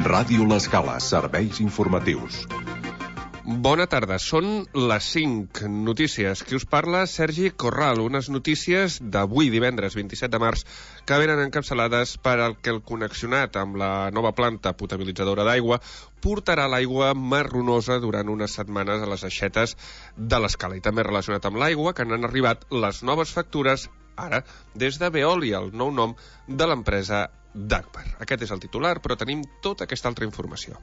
Ràdio L'Escala, serveis informatius. Bona tarda, són les 5 notícies. Qui us parla? Sergi Corral. Unes notícies d'avui, divendres 27 de març, que venen encapçalades per al que el connexionat amb la nova planta potabilitzadora d'aigua portarà l'aigua marronosa durant unes setmanes a les aixetes de l'Escala. I també relacionat amb l'aigua, que n'han arribat les noves factures ara des de Veolia, el nou nom de l'empresa Dagmar. Aquest és el titular, però tenim tota aquesta altra informació.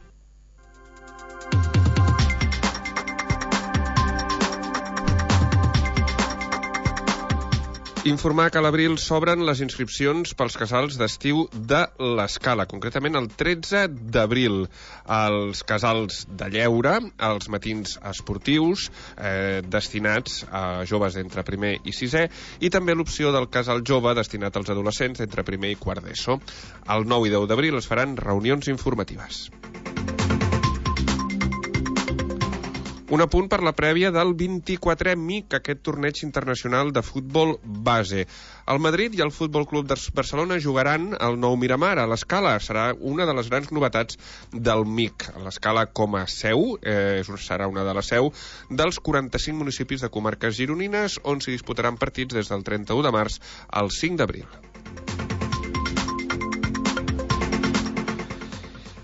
Informar que a l'abril s'obren les inscripcions pels casals d'estiu de l'Escala, concretament el 13 d'abril. Els casals de lleure, els matins esportius, destinats a joves d'entre primer i sisè, i també l'opció del casal jove destinat als adolescents d'entre primer i quart d'ESO. El 9 i 10 d'abril es faran reunions informatives. Un apunt per la prèvia del 24è MIC, aquest torneig internacional de futbol base. El Madrid i el Futbol Club de Barcelona jugaran al Nou Miramar, a l'Escala. Serà una de les grans novetats del MIC. L'Escala com a seu, serà una de les seu dels 45 municipis de comarques gironines, on s'hi disputaran partits des del 31 de març al 5 d'abril.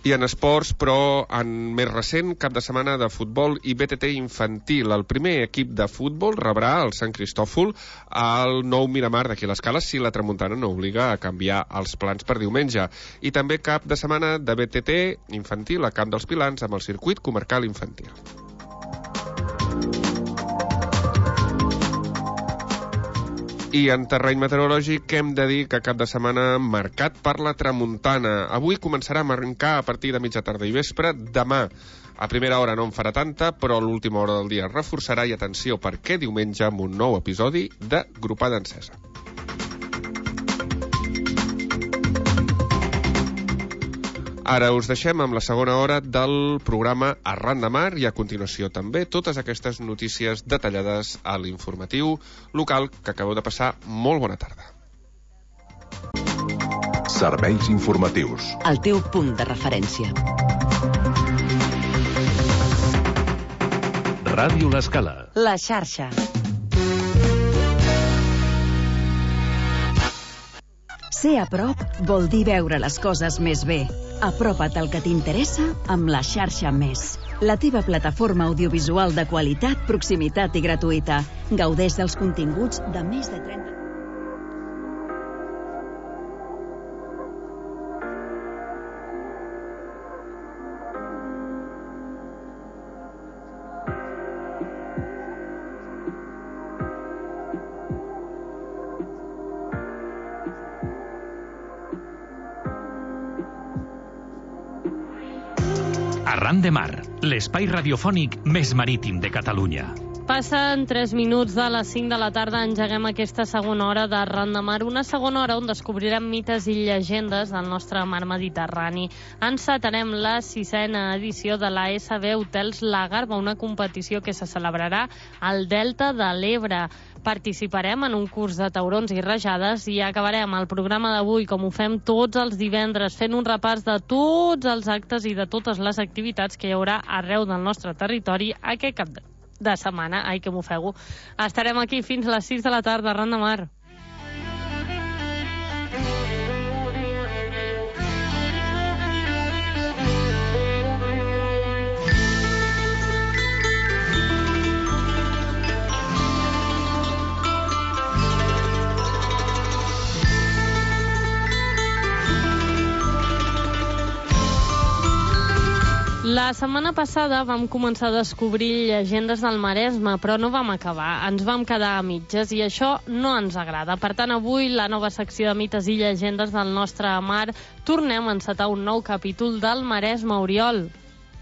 I en esports, però en més recent, cap de setmana de futbol i BTT infantil. El primer equip de futbol rebrà el Sant Cristòfol al Nou Miramar d'aquí a l'Escala si la tramuntana no obliga a canviar els plans per diumenge. I també cap de setmana de BTT infantil a Camp dels Pilans amb el circuit comarcal infantil. I en terreny meteorològic hem de dir que cap de setmana marcat per la tramuntana. Avui començarà a marcar a partir de mitja tarda i vespre. Demà, a primera hora no en farà tanta, però a l'última hora del dia es reforçarà. I atenció, perquè diumenge amb un nou episodi de Gropada Encesa. Ara us deixem amb la segona hora del programa Arran de Mar i a continuació també totes aquestes notícies detallades a l'informatiu local que acabeu de passar. Molt bona tarda. Serveis informatius. El teu punt de referència. Ràdio L'Escala. La xarxa. Ser a prop vol dir veure les coses més bé. Apropa't al que t'interessa amb la xarxa Més. La teva plataforma audiovisual de qualitat, proximitat i gratuïta. Gaudeix dels continguts de més de 30... Arran de Mar, l'espai radiofònic més marítim de Catalunya. Passen 3 minuts de les 5 de la tarda, engeguem aquesta segona hora de Arran de Mar, una segona hora on descobrirem mites i llegendes del nostre mar Mediterrani. Encetarem la 6a edició de la SB Hotels La Garba, una competició que se celebrarà al Delta de l'Ebre. Participarem en un curs de taurons i rajades i acabarem el programa d'avui, com ho fem tots els divendres, fent un repàs de tots els actes i de totes les activitats que hi haurà arreu del nostre territori aquest cap de setmana. Ai, que m'ofego. Estarem aquí fins a les 6 de la tarda, Arran de Mar. La setmana passada vam començar a descobrir llegendes del Maresme, però no vam acabar. Ens vam quedar a mitges i això no ens agrada. Per tant, avui, la nova secció de mites i llegendes del nostre mar, tornem a encetar un nou capítol del Maresme, Oriol.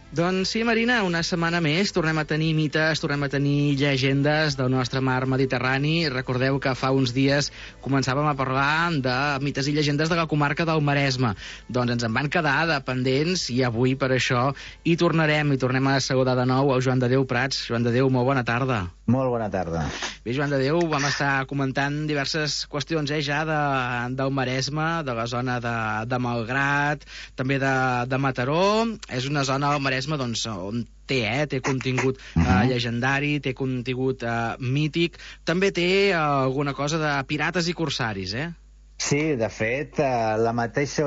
Doncs sí, Marina, una setmana més tornem a tenir mites, tornem a tenir llegendes del nostre mar Mediterrani. Recordeu que fa uns dies començàvem a parlar de mites i llegendes de la comarca del Maresme. Doncs ens en van quedar de pendents i avui per això hi tornem a saludar de nou el Joan de Déu Prats. Joan de Déu, molt bona tarda. Molt bona tarda. Bé, Joan de Déu, vam estar comentant diverses qüestions ja del Maresme, de la zona de Malgrat, també de Mataró. És una zona del Maresme doncs, on té contingut llegendari, té contingut mític, també té alguna cosa de pirates i corsaris, Sí, de fet, la mateixa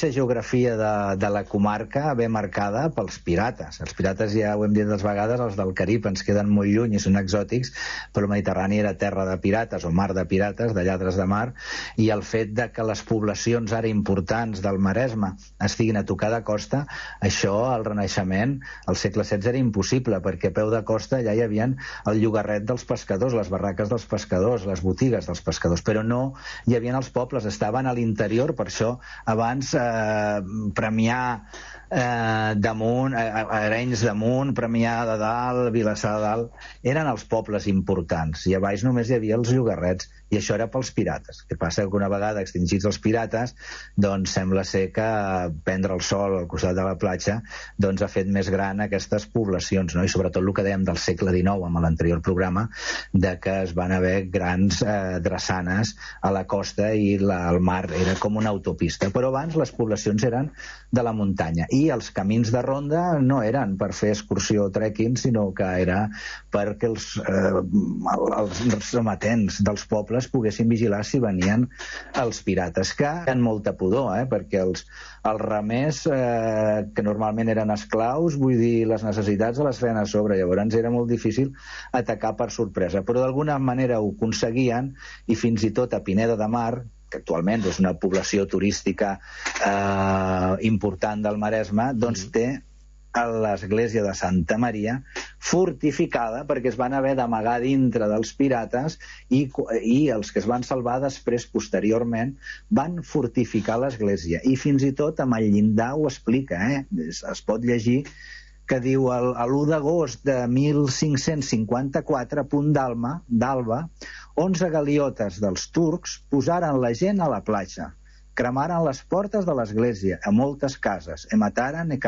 geografia de la comarca ve marcada pels pirates. Els pirates, ja ho hem dit dues vegades, els del Carib ens queden molt lluny i són exòtics, però el Mediterrani era terra de pirates o mar de pirates, de lladres de mar, i el fet de que les poblacions ara importants del Maresme estiguin a tocar de costa, això al Renaixement, al segle XVI, era impossible, perquè a peu de costa ja hi havia el llogarret dels pescadors, les barraques dels pescadors, les botigues dels pescadors, però no hi havia els pobles, estaven a l'interior. Per això abans Premià damunt, Arenys damunt, Premià de dalt, Vilassar de dalt, eren els pobles importants, i a baix només hi havia els llogarrets, i això era pels pirates. El que passa que una vegada extingits els pirates, doncs sembla ser que prendre el sol al costat de la platja doncs ha fet més gran aquestes poblacions, no? I sobretot el que dèiem del segle XIX amb l'anterior programa, de que es van haver grans drassanes a la costa i el mar era com una autopista. Però abans les poblacions eren de la muntanya, i els camins de ronda no eren per fer excursió o trekking, sinó que era perquè els rematents dels pobles poguessin vigilar si venien els pirates, que tenen molta pudor, perquè els remers, que normalment eren esclaus, vull dir, les necessitats les feien a sobre, llavors era molt difícil atacar per sorpresa, però d'alguna manera ho aconseguien, i fins i tot a Pineda de Mar, que actualment és una població turística important del Maresme, doncs té l'església de Santa Maria fortificada, perquè es van haver d'amagar dintre dels pirates, i els que es van salvar després, posteriorment, van fortificar l'església, i fins i tot amb el llindar ho explica, es pot llegir que diu l'1 d'agost de 1554, a punt d'alba, 11 galiotes dels turcs posaren la gent a la platja, cremaren les portes de l'església a moltes cases, mataren i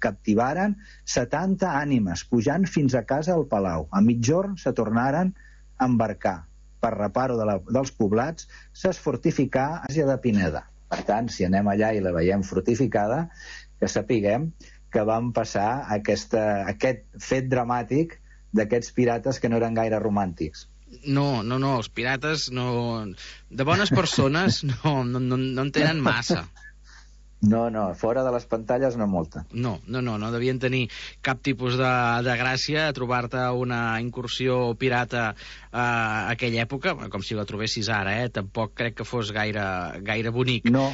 captivaren 70 ànimes, pujant fins a casa al palau. A mitjorn se tornaren a embarcar. Per reparo dels poblats, s'es fortificà l'Àsia de Pineda. Per tant, si anem allà i la veiem fortificada, que sapiguem que van passar aquest fet dramàtic d'aquests pirates que no eren gaire romàntics. No, els pirates no... De bones persones no en tenen massa. No, fora de les pantalles no molta. No devien tenir cap tipus de gràcia a trobar-te una incursió pirata a aquella època, com si la trobessis ara, tampoc crec que fos gaire bonic. No,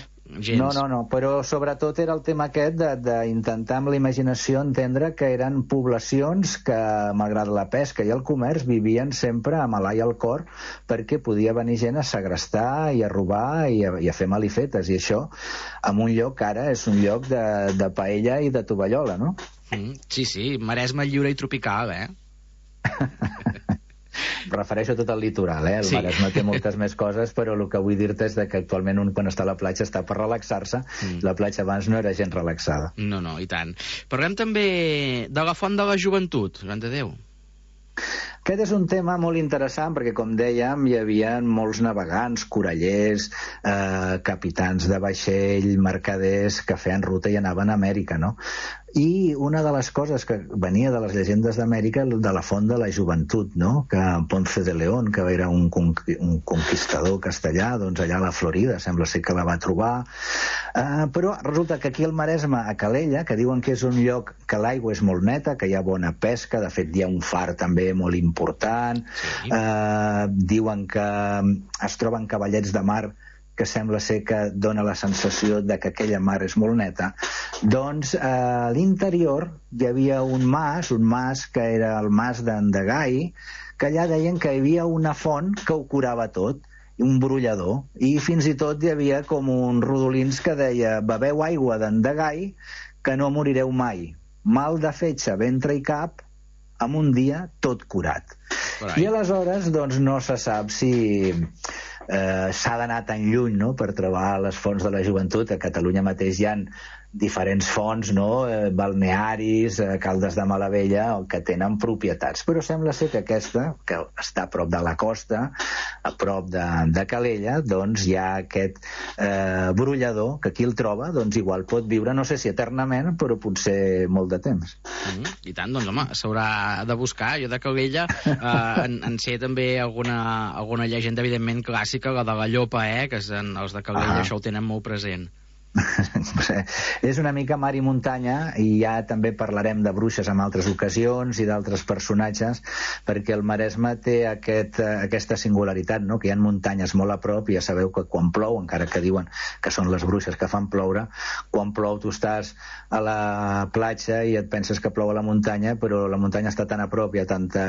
però sobretot era el tema aquest d'intentar amb la imaginació entendre que eren poblacions que, malgrat la pesca i el comerç, vivien sempre amb l'ai al cor, perquè podia venir gent a segrestar i a robar i a fer malifetes, i això en un lloc que ara és un lloc de paella i de tovallola, no? Sí, Maresme lliure i tropical, Refereixo a tot el litoral, El Maresme té moltes més coses, però el que vull dir-te és que actualment un quan està a la platja està per relaxar-se, la platja abans no era gent relaxada. No, i tant. Parlem també de la font de la joventut, Joan de Déu. Aquest és un tema molt interessant perquè, com dèiem, hi havia molts navegants, corallers, capitans de vaixell, mercaders que feien ruta i anaven a Amèrica, no? I una de les coses que venia de les llegendes d'Amèrica, de la font de la joventut, no? Que Ponce de León, que era un conquistador castellà, doncs allà a la Florida sembla ser que la va trobar, però resulta que aquí al Maresme, a Calella, que diuen que és un lloc que l'aigua és molt neta, que hi ha bona pesca, de fet hi ha un far també molt important, diuen que es troben cavallets de mar que sembla ser que dona la sensació de que aquella mar és molt neta, doncs a l'interior hi havia un mas que era el mas d'Endegai, que allà deien que hi havia una font que ho curava tot, un brollador, i fins i tot hi havia com uns rodolins que deia: beveu aigua d'Endegai, que no morireu mai. Mal de fetge, ventre i cap, en un dia tot curat. I aleshores doncs, no se sap si s'ha d'anar tan lluny, no?, per trobar les fonts de la joventut. A Catalunya mateix hi ha diferents fonts, no?, balnearis, Caldes de Malavella, que tenen propietats. Però sembla ser que aquesta, que està a prop de la costa, a prop de Calella, doncs hi ha aquest brollador, que qui el troba, doncs igual pot viure, no sé si eternament, però potser molt de temps. I tant, doncs home, s'haurà de buscar. Jo de Calella en sé també alguna llegenda, evidentment, clàssica, la de la llopa, que els de Calella això ho tenen molt present. És una mica mar i muntanya, i ja també parlarem de bruixes en altres ocasions i d'altres personatges, perquè el Maresme té aquesta singularitat, no?, que hi ha muntanyes molt a prop, i ja sabeu que quan plou, encara que diuen que són les bruixes que fan ploure, quan plou tu estàs a la platja i et penses que plou a la muntanya, però la muntanya està tan a prop i hi ha tanta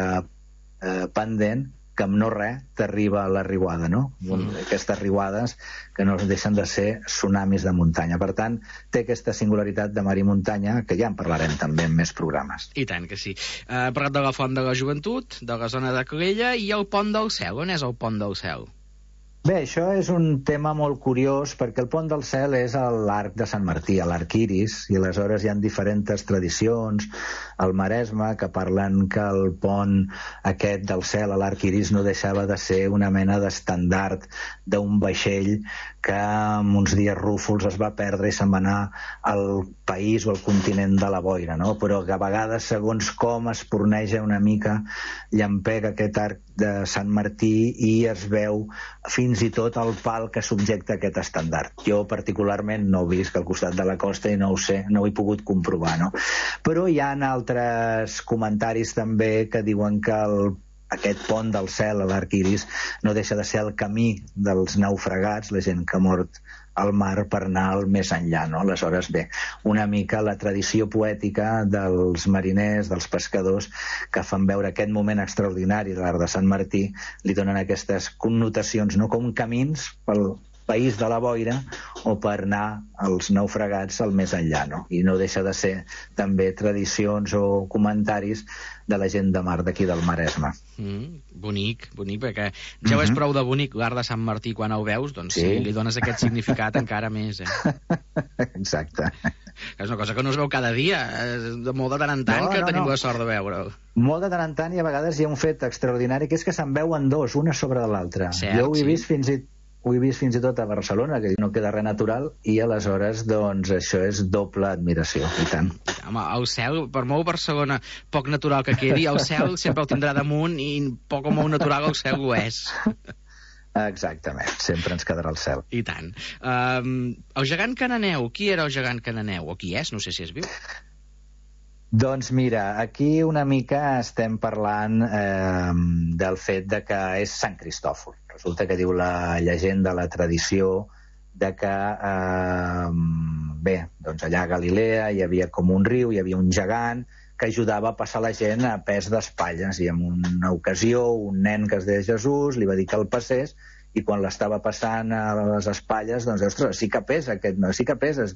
pendent que amb no res t'arriba la riuada, no? Aquestes riuades que no deixen de ser tsunamis de muntanya. Per tant, té aquesta singularitat de mar i muntanya, que ja en parlarem també en més programes. I tant que sí. Hem parlat de la Font de la Joventut, de la zona de Calella, i el Pont del Cel. On és el Pont del Cel? Bé, això és un tema molt curiós, perquè el Pont del Cel és l'arc de Sant Martí, l'arc Iris, i aleshores hi ha diferents tradicions al Maresme que parlen que el pont aquest del cel a l'arc Iris no deixava de ser una mena d'estandard d'un vaixell que en uns dies rúfols es va perdre i se'n va anar al país o al continent de la boira, no? Però que a vegades, segons com es porneja una mica, llampega aquest arc de Sant Martí i es veu fins i tot el pal que subjecta aquest estandard. Jo particularment no ho visc al costat de la costa i no ho sé, no ho he pogut comprovar, no? Però hi ha altres comentaris també que diuen que aquest pont del cel a l'arc Iris no deixa de ser el camí dels naufragats, la gent que ha mort al mar, per anar al més enllà, no? Aleshores, bé, una mica la tradició poètica dels mariners, dels pescadors, que fan veure aquest moment extraordinari de l'arc de Sant Martí, li donen aquestes connotacions, no?, com camins pel país de la boira o per anar als naufragats al més enllà, no? I no deixa de ser també tradicions o comentaris de la gent de mar d'aquí del Maresme. Bonic, perquè ja ho és prou de bonic l'arc de Sant Martí quan el veus, doncs sí, li dones aquest significat encara més, Exacte. És una cosa que no es veu cada dia, molt de tant en tant que tenim la sort de veure'l. Molt de tant en tant, i a vegades hi ha un fet extraordinari, que és que se'n veuen dos, una sobre l'altra. Jo ho he vist fins i tot a Barcelona, que no queda res natural, i aleshores, doncs, això és doble admiració, i tant. Home, el cel, per molt Barcelona poc natural que quedi, el cel sempre el tindrà damunt, i poc o molt natural el cel ho és. Exactament, sempre ens quedarà el cel. I tant. El gegant cananeu, qui era el gegant cananeu? O qui és? No sé si és viu. Doncs mira, aquí una mica estem parlant del fet de que és Sant Cristòfol. Resulta que diu la llegenda, la tradició, de que bé, doncs allà a Galilea hi havia com un riu, hi havia un gegant que ajudava a passar la gent a pes d'espatlles, i en una ocasió un nen que es deia Jesús li va dir que el passés, i quan l'estava passant a les espatlles, doncs, ostres, sí que pesa aquest, no, sí que peses.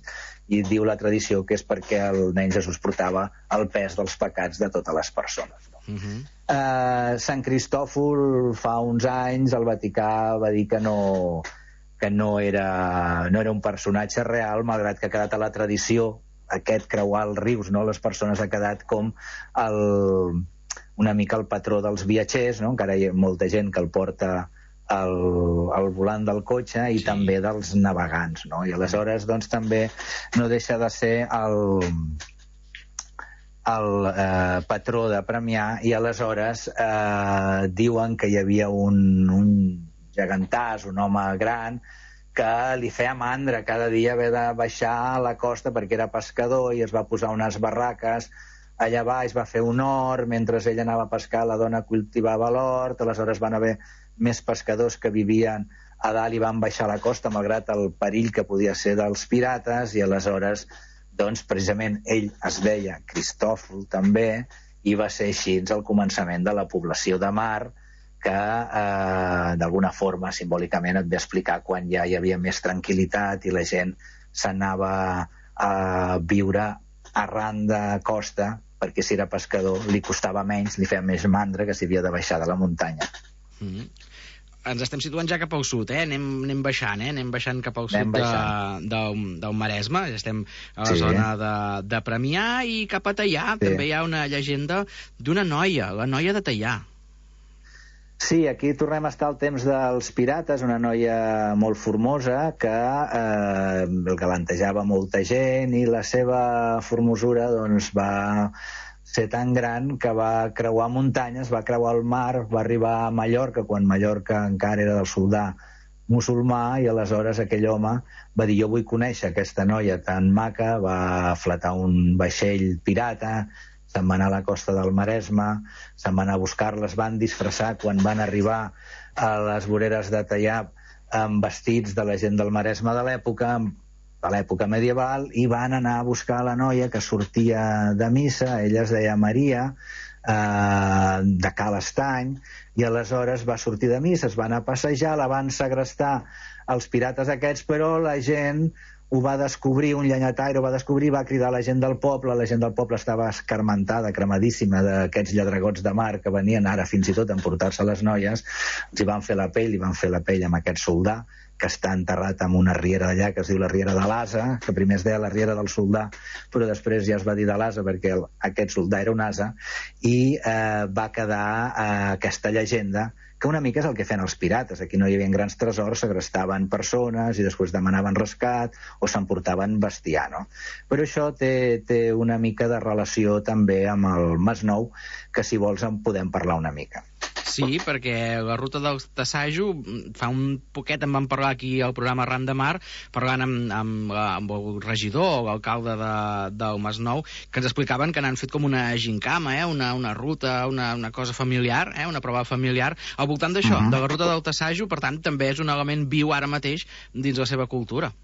I diu la tradició que és perquè el nen Jesús portava el pes dels pecats de totes les persones. No? Sant Cristòfol, fa uns anys, el Vaticà va dir que no era un personatge real, malgrat que ha quedat a la tradició aquest creuar els rius, no? Les persones ha quedat com una mica el patró dels viatgers, no? Encara hi ha molta gent que el porta al volant del cotxe, i també dels navegants, no? I aleshores, doncs, també no deixa de ser el patró de Premià, i aleshores diuen que hi havia un gegantàs, un home gran, que li feia mandra cada dia haver de baixar a la costa perquè era pescador, i es va posar unes barraques allà baix, va fer un hort, mentre ell anava a pescar la dona cultivava l'hort. Aleshores van haver més pescadors que vivien a dalt i van baixar a la costa malgrat el perill que podia ser dels pirates, i aleshores, doncs, precisament ell es deia Cristòfol també, i va ser així el començament de la població de mar, que d'alguna forma, simbòlicament, et ve a explicar quan ja hi havia més tranquil·litat i la gent s'anava a viure arran de costa, perquè si era pescador li costava menys, li feia més mandra que si havia de baixar de la muntanya. Ens estem situant ja cap al sud, anem baixant, anem baixant cap al sud del Maresme, estem a la zona de Premià, i cap a Teià també hi ha una llegenda d'una noia, la noia de Teià. Sí, aquí tornem a estar al temps dels pirates, una noia molt formosa que galantejava molta gent, i la seva formosura doncs va ser tan gran que va creuar muntanyes, va creuar el mar, va arribar a Mallorca, quan Mallorca encara era del soldà musulmà, i aleshores aquell home va dir: jo vull conèixer aquesta noia tan maca. Va fletar un vaixell pirata, se'n va anar a la costa del Maresme, se'n va anar a buscar-la, es van disfressar quan van arribar a les voreres de Teià amb vestits de la gent del Maresme de l'època medieval, i van anar a buscar la noia que sortia de missa. Ella es deia Maria, de Cal Estany, i aleshores va sortir de missa, es va anar a passejar, la van segrestar els pirates aquests, però la gent ho va descobrir, un llenyataire ho va descobrir, va cridar a la gent del poble. La gent del poble estava escarmentada, cremadíssima d'aquests lladregots de mar que venien ara fins i tot a emportar-se les noies. Els hi van fer la pell, amb aquest soldà, que està enterrat en una riera d'allà que es diu la riera de l'Asa, que primer es deia la riera del soldà, però després ja es va dir de l'Asa perquè aquest soldà era un asa, i va quedar aquesta llegenda, que una mica és el que feien els pirates. Aquí no hi havia grans tresors, segrestaven persones i després demanaven rescat o s'emportaven bestiar, no? Però això té una mica de relació també amb el Masnou, que si vols en podem parlar una mica. Sí, perquè la ruta del Tassajo, fa un poquet en vam parlar aquí al programa Ran de Mar, parlant amb el regidor o l'alcalde del Masnou, que ens explicaven que n'han fet com una gincama, una ruta, una cosa familiar, una prova familiar, al voltant d'això, de la ruta del Tassajo. Per tant, també és un element viu ara mateix dins la seva cultura.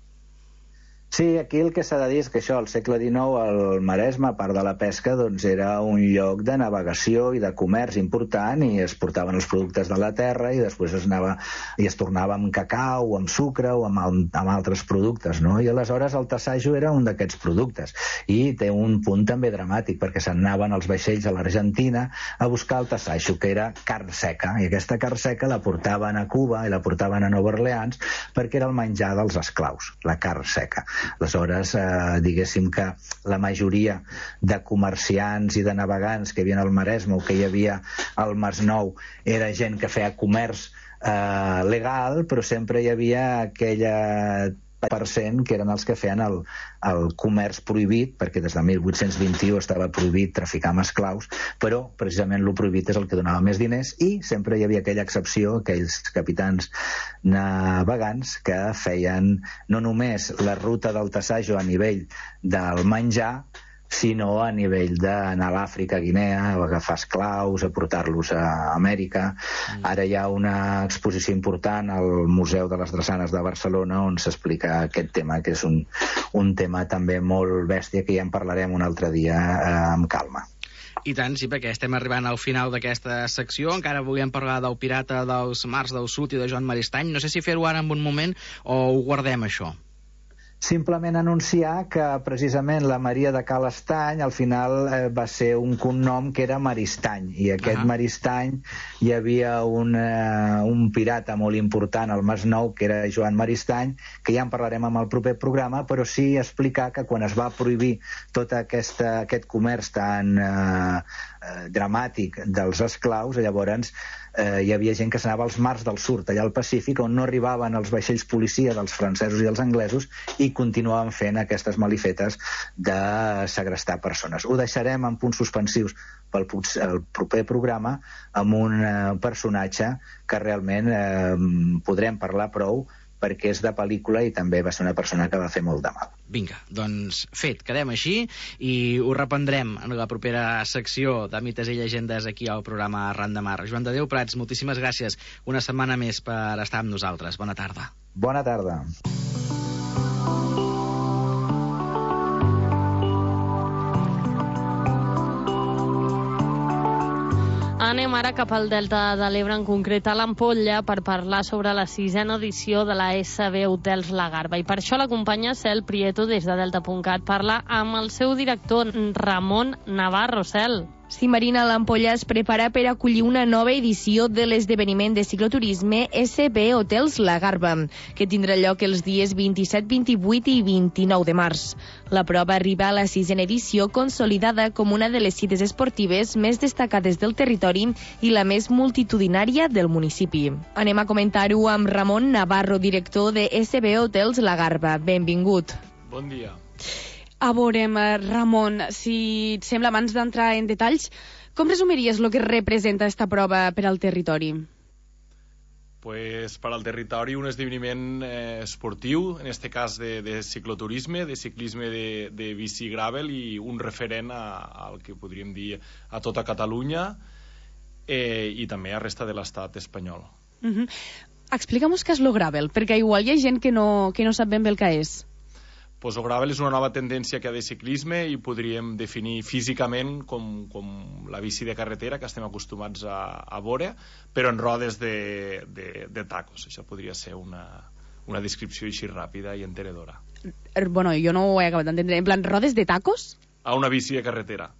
Sí, aquí el que s'ha de dir és que això, al segle XIX, el Maresme, a part de la pesca, doncs era un lloc de navegació i de comerç important, i es portaven els productes de la terra i després es tornava amb cacau, amb sucre o amb altres productes, no? I aleshores el Tassajo era un d'aquests productes, i té un punt també dramàtic, perquè se'n anaven els vaixells a l'Argentina a buscar el Tassajo, que era carn seca, i aquesta carn seca la portaven a Cuba i la portaven a Nova Orleans perquè era el menjar dels esclaus, la carn seca. Aleshores, diguéssim que la majoria de comerciants i de navegants que hi havia al Maresme o que hi havia al Masnou era gent que feia comerç legal, però sempre hi havia aquella % que eren els que feien el comerç prohibit, perquè des de 1821 estava prohibit traficar amb esclaus, però precisament el prohibit és el que donava més diners, i sempre hi havia aquella excepció, aquells capitans navegants que feien no només la ruta del Tassajo a nivell del menjar, sinó a nivell d'anar a l'Àfrica, a Guinea, a agafar esclaus, a portar-los a Amèrica. Ara hi ha una exposició important al Museu de les Drassanes de Barcelona on s'explica aquest tema, que és un tema també molt bèstia, que ja en parlarem un altre dia amb calma. I tant, sí, perquè estem arribant al final d'aquesta secció. Encara volíem parlar del pirata dels mars del sud i de Joan Maristany. No sé si fer-ho ara en un moment o ho guardem, això. Simplement anunciar que precisament la Maria de Cal Estany al final va ser un cognom que era Maristany, i aquest Maristany hi havia un pirata molt important al Masnou que era Joan Maristany, que ja en parlarem amb el proper programa, però sí explicar que quan es va prohibir tot aquest comerç tan dramàtic dels esclaus, llavors hi havia gent que s'anava als mars del sud, allà al Pacífic, on no arribaven els vaixells policia dels francesos i els anglesos, i continuaven fent aquestes malifetes de segrestar persones. Ho deixarem en punts suspensius pel proper programa amb un personatge que realment podrem parlar prou, perquè és de pel·lícula i també va ser una persona que va fer molt de mal. Vinga, doncs fet, quedem així i ho reprendrem en la propera secció de mites i llegendes aquí al programa Ran de Mar. Joan de Déu Prats, moltíssimes gràcies una setmana més per estar amb nosaltres. Bona tarda. Bona tarda. Anem anem ara cap al Delta de l'Ebre, en concret a l'Ampolla, per parlar sobre la 6ª edició de la SB Hotels La Garba. I per això l'acompanya Cel Prieto des de Delta.cat. Parla amb el seu director, Ramon Navarro. Cel. Sí, Marina, l'Ampolla es prepara per acollir una nova edició de l'esdeveniment de cicloturisme SB Hotels La Garba, que tindrà lloc els dies 27, 28 i 29 de març. La prova arriba a la 6ª edició, consolidada com una de les cites esportives més destacades del territori i la més multitudinària del municipi. Anem a comentar-ho amb Ramon Navarro, director de SB Hotels La Garba. Benvingut. Bon dia. A veure, Ramon, si et sembla, abans d'entrar en detalls, com resumiries el que representa esta prova per al territori? Pues per al territori un esdeveniment esportiu, en este cas de cicloturisme, de ciclisme de bici gravel i un referent al que podríem dir a tota Catalunya i també a resta de l'estat espanyol. Explica'm què és lo gravel, perquè igual hi ha gent que no sap ben bé el que és. Pues el gravel és una nova tendència que hi ha de ciclisme i podríem definir físicament com la bici de carretera que estem acostumats a veure, però en rodes de tacos. Això podria ser una descripció així ràpida i entenedora. Bueno, jo no ho he acabat d'entendre. En plan, rodes de tacos? A una bici de carretera.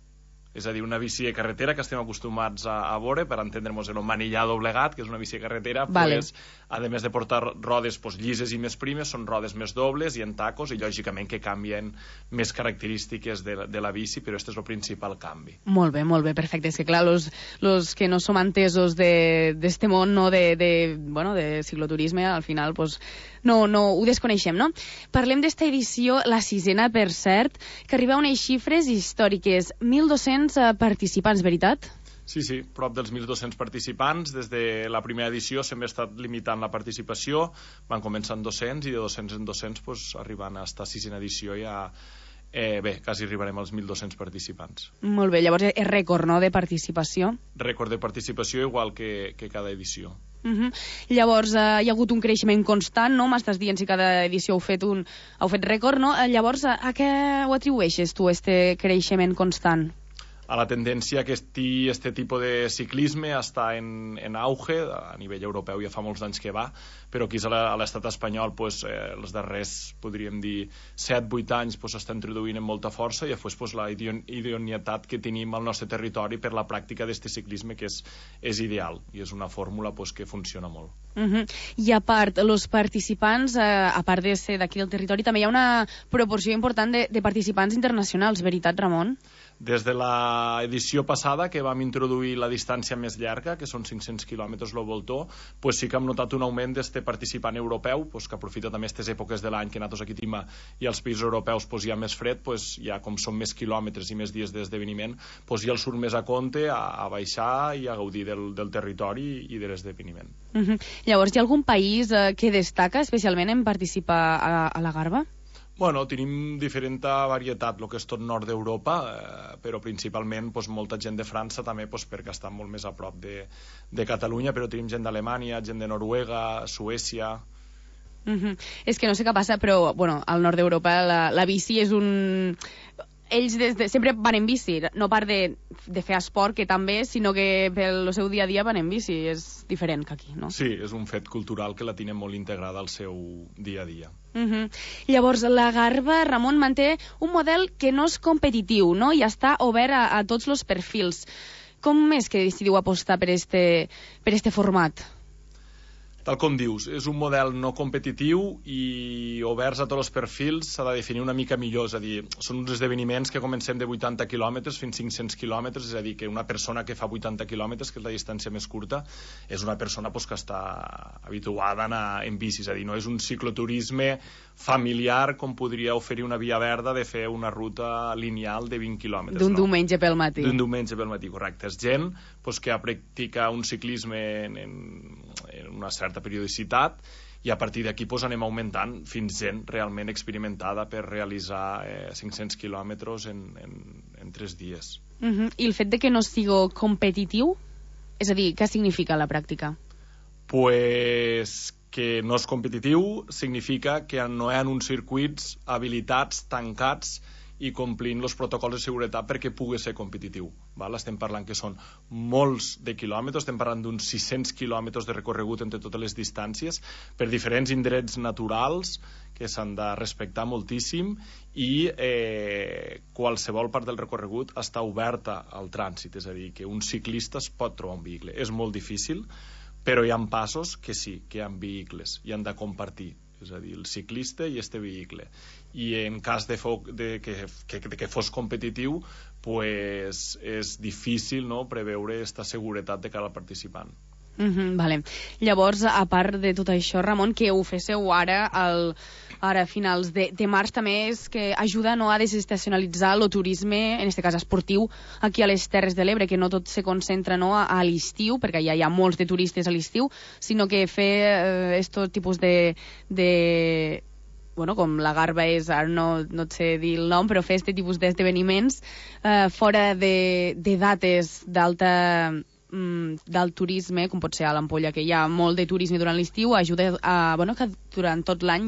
És a dir, una bici de carretera que estem acostumats a veure, per entendre'ns en un manillar doblegat, que és una bici de carretera, vale. Pues, a més de portar rodes pues, llises i més primes, són rodes més dobles i en tacos, i lògicament que canvien més característiques de la bici, però aquest és el principal canvi. Molt bé, perfecte. És que clar, los que no som entesos d'este món, no, de cicloturisme, al final, pues, no ho desconeixem, no? Parlem d'esta edició, la 6ª, per cert, que arriba a unes xifres històriques, 1.200 participants, veritat? Sí, prop dels 1.200 participants. Des de la primera edició sempre ha estat limitant la participació, van començar en 200 i de 200 en 200 pues, arribant a esta 6ª edició ja... quasi arribarem als 1.200 participants. Molt bé, llavors és rècord, no?, de participació? Rècord de participació igual que cada edició. Llavors hi ha hagut un creixement constant, no? M'estàs dient si cada edició heu fet rècord, no? Llavors a què ho atribueixes tu, este creixement constant? A la tendència que este tipus de ciclisme està en auge, a nivell europeu ja fa molts anys que va, però aquí a l'estat espanyol pues, els darrers, podríem dir, 7-8 anys s'està introduint amb molta força i després pues, la idoneïtat que tenim al nostre territori per la pràctica d'aquest ciclisme que és ideal i és una fórmula pues, que funciona molt. I a part, els participants, a part de ser d'aquí del territori, també hi ha una proporció important de participants internacionals, veritat, Ramon? Des de l'edició passada, que vam introduir la distància més llarga, que són 500 quilòmetres el voltor, pues sí que hem notat un augment d'este participant europeu, pues que aprofita també aquestes èpoques de l'any que nosaltres aquí tenim i als països europeus pues, hi ha més fred, pues, ja com són més quilòmetres i més dies d'esdeveniment, pues ja el surt més a compte a baixar i a gaudir del territori i de l'esdeveniment. Llavors, hi ha algun país que destaca especialment en participar a la Garba? Bueno, tenim diferent varietat, el que és tot nord d'Europa, però principalment pues, molta gent de França també, pues, perquè està molt més a prop de Catalunya, però tenim gent d'Alemanya, gent de Noruega, Suècia... És que no sé què passa, però bueno, al nord d'Europa la bici és un... Ells sempre van en bici, no part de fer esport, que també, sinó que pel seu dia a dia van en bici. És diferent que aquí, no? Sí, és un fet cultural que la tenen molt integrada al seu dia a dia. Llavors, la Garba, Ramon, manté un model que no és competitiu, no? I està obert a tots els perfils. Com és que decidiu apostar per este format? Tal com dius, és un model no competitiu i oberts a tots els perfils s'ha de definir una mica millor, és a dir, són uns esdeveniments que comencem de 80 quilòmetres fins a 500 quilòmetres, és a dir, que una persona que fa 80 quilòmetres, que és la distància més curta, és una persona pues, que està habituada a anar en bici, és a dir, no és un cicloturisme familiar com podria oferir una via verda de fer una ruta lineal de 20 quilòmetres. D'un diumenge pel matí. D'un diumenge pel matí, correcte. És gent pues, que practica un ciclisme en una certa periodicitat i a partir d'aquí pues, anem augmentant fins gent realment experimentada per realitzar 500 quilòmetres en 3 dies. I el fet de que no sigui competitiu, és a dir, què significa la pràctica? Pues que no és competitiu significa que no hi ha uns circuits habilitats, tancats i complint els protocols de seguretat perquè pugui ser competitiu. Val? Estem parlant que són molts de quilòmetres, estem parlant d'uns 600 quilòmetres de recorregut entre totes les distàncies, per diferents indrets naturals que s'han de respectar moltíssim, i qualsevol part del recorregut està oberta al trànsit, és a dir, que un ciclista es pot trobar un vehicle. És molt difícil, però hi ha passos que sí, que hi ha vehicles i han de compartir, és a dir, el ciclista i este vehicle. I en cas de que fos competitiu, pues és difícil, no, preveure aquesta seguretat de cada participant. Vale. Llavors, a part de tot això, Ramon, que ho féssiu ara a finals de març, també és que ajuda, no, a desestacionalitzar el turisme, en aquest cas esportiu, aquí a les Terres de l'Ebre, que no tot se concentra, no, a l'estiu, perquè ja hi ha molts de turistes a l'estiu, sinó que fer aquest tipus de bueno, com la Garba és, ara no sé dir el nom, però fer aquest tipus d'esdeveniments fora de dates del turisme, com pot ser a l'Ampolla, que hi ha molt de turisme durant l'estiu, ajuda a que durant tot l'any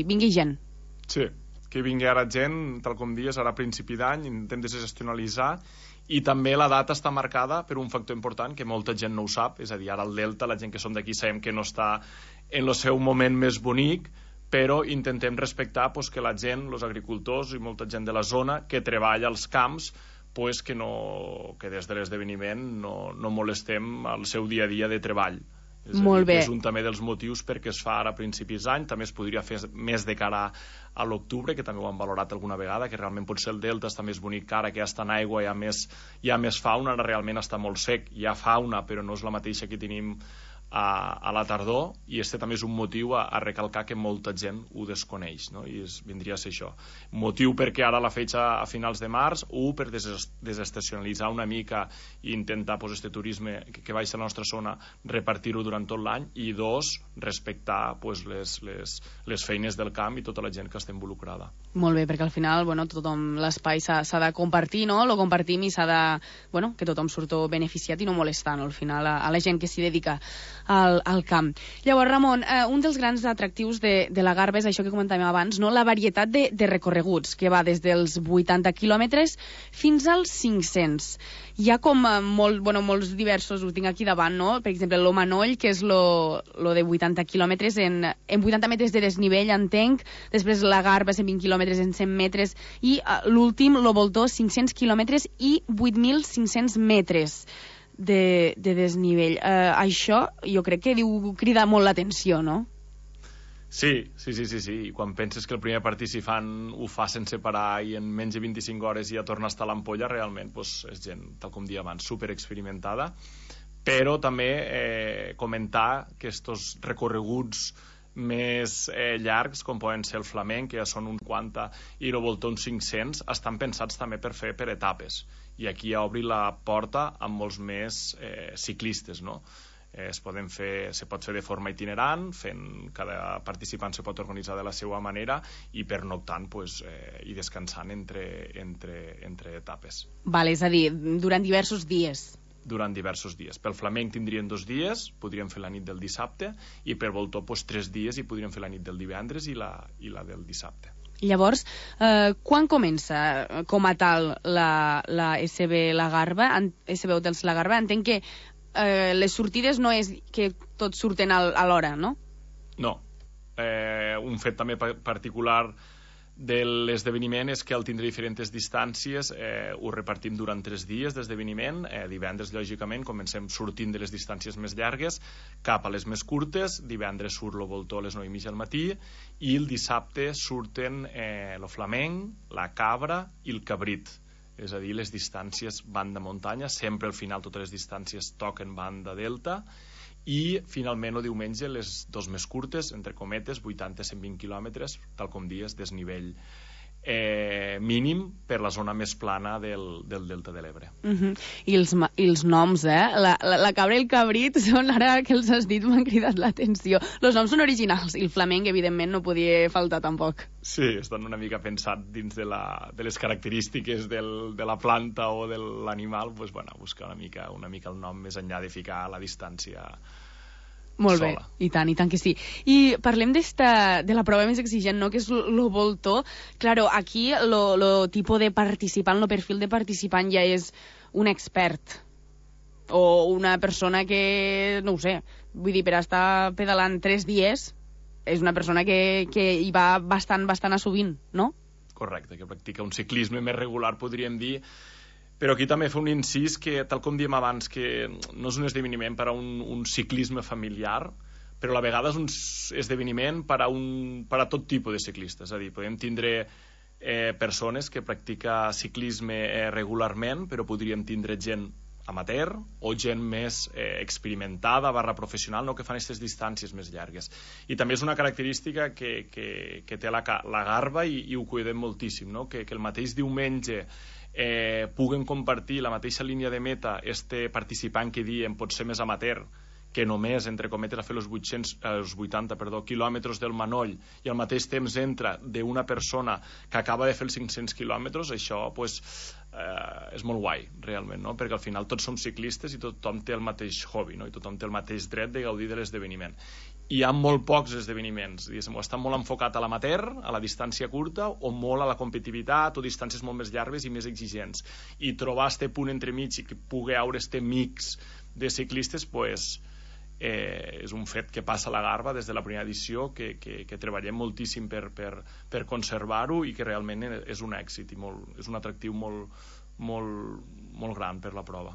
vingui gent. Sí, que vingui ara gent, tal com dius, ara a principi d'any, intentem desestacionalitzar, i també la data està marcada per un factor important que molta gent no ho sap, és a dir, ara al Delta, la gent que som d'aquí sabem que no està en el seu moment més bonic, però intentem respectar que la gent, els agricultors i molta gent de la zona que treballa als camps, que des de l'esdeveniment no molestem el seu dia a dia de treball. Molt bé. És un també dels motius perquè es fa ara a principis d'any, també es podria fer més de cara a l'octubre, que també ho han valorat alguna vegada, que realment potser el Delta està més bonic que ara, que ja està en aigua, hi ha més fauna, ara realment està molt sec, hi ha fauna, però no és la mateixa que tenim a la tardor, i este també és un motiu a recalcar que molta gent ho desconeix, no? I vindria a ser això. Motiu perquè ara la fetge a finals de març, per desestacionalitzar una mica i intentar este turisme que baixa a la nostra zona, repartir-ho durant tot l'any, i dos, respectar les feines del camp i tota la gent que està involucrada. Molt bé, perquè al final tothom l'espai s'ha de compartir, no? Lo compartim i s'ha de que tothom surto beneficiat i no molestant al final a la gent que s'hi dedica al camp. Llavors, Ramon, un dels grans atractius de la Garba és això que comentàvem abans, no? La varietat de recorreguts, que va des dels 80 quilòmetres fins als 500. Hi ha com molts diversos, ho tinc aquí davant, no? Per exemple, lo Manoll, que és lo de 80 quilòmetres en 80 metres de desnivell, entenc, després la Garba 120 quilòmetres en 100 metres, i l'últim, lo Voltor, 500 quilòmetres i 8.500 metres de desnivell. Això jo crec que crida molt l'atenció, no? Sí. Quan penses que el primer participant ho fa sense parar i en menys de 25 hores ja torna a estar a l'Ampolla, realment és gent, tal com dia abans, superexperimentada. Però també comentar que estos recorreguts més llargs, com poden ser el flamenc, que ja són uns 50, i el Voltor uns 500, estan pensats també per fer per etapes. I aquí ja obri la porta amb molts més ciclistes, no? Se pot fer de forma itinerant, cada participant se pot organitzar de la seva manera i pernoctant i descansant entre etapes. Vale, és a dir, durant diversos dies. Durant diversos dies. Pel flamenc tindrien 2 dies, podríem fer la nit del dissabte, i per Voltor 3 dies i podríem fer la nit del divendres i la del dissabte. Llavors, quan comença com a tal la SB La Garba, SB Hotels La Garba? Entenc que les sortides no és que tots surten a l'hora, no? No. Un fet també particular de l'esdeveniment és que al tindre diferents distàncies ho repartim durant 3 dies d'esdeveniment. Divendres, lògicament, comencem sortint de les distàncies més llargues cap a les més curtes. Divendres surt el Voltor a les 9:30 al matí i el dissabte surten el flamenc, la cabra i el cabrit. És a dir, les distàncies banda muntanya, sempre al final totes les distàncies toquen banda delta, i finalment el diumenge les 2 més curtes, entre cometes, 80-120 quilòmetres, tal com dies, desnivell mínim per la zona més plana del Delta de l'Ebre. I els noms, la cabra i el cabrit són, ara que els has dit, m'han cridat l'atenció. Els noms són originals, i el flamenc, evidentment, no podia faltar tampoc. Sí, estan una mica pensat dins de les característiques de la planta o de l'animal, buscar una mica el nom més enllà de ficar la distància Molt bé, i tant que sí. I parlem de la prova més exigent, no?, que és lo voltó. Claro, aquí lo tipus de participant, lo perfil de participant ja és un expert o una persona que, no ho sé, vull dir, per estar pedalant 3 dies és una persona que hi va bastant assovint, no? Correcte, que practica un ciclisme més regular, podríem dir. Però aquí també fa un incís que, tal com diem abans, que no és un esdeveniment per a un ciclisme familiar, però a la vegada és un esdeveniment per a tot tipus de ciclistes. És a dir, podem tindre persones que practica ciclisme regularment, però podríem tindre gent amateur o gent més experimentada / professional, no?, que fan aquestes distàncies més llargues. I també és una característica que té la Garba i ho cuidem moltíssim, no?, que el mateix diumenge puguen compartir la mateixa línia de meta este participant que diem pot ser més amateur, que només, entre cometes, a fer els 80 quilòmetres del Manoll i al mateix temps entra d'una persona que acaba de fer els 500 quilòmetres, això és molt guai, realment, no? Perquè al final tots som ciclistes i tothom té el mateix hobby, no? I tothom té el mateix dret de gaudir de l'esdeveniment. Hi ha molt pocs esdeveniments, diguéssim, o estan molt enfocat a l'amateur, a la distància curta, o molt a la competitivitat, o distàncies molt més llargues i més exigents. I trobar este punt entremig i que pugui haure este mix de ciclistes, és un fet que passa a la Garba des de la primera edició, que treballem moltíssim per conservar-ho i que realment és un èxit i és un atractiu molt gran per la prova.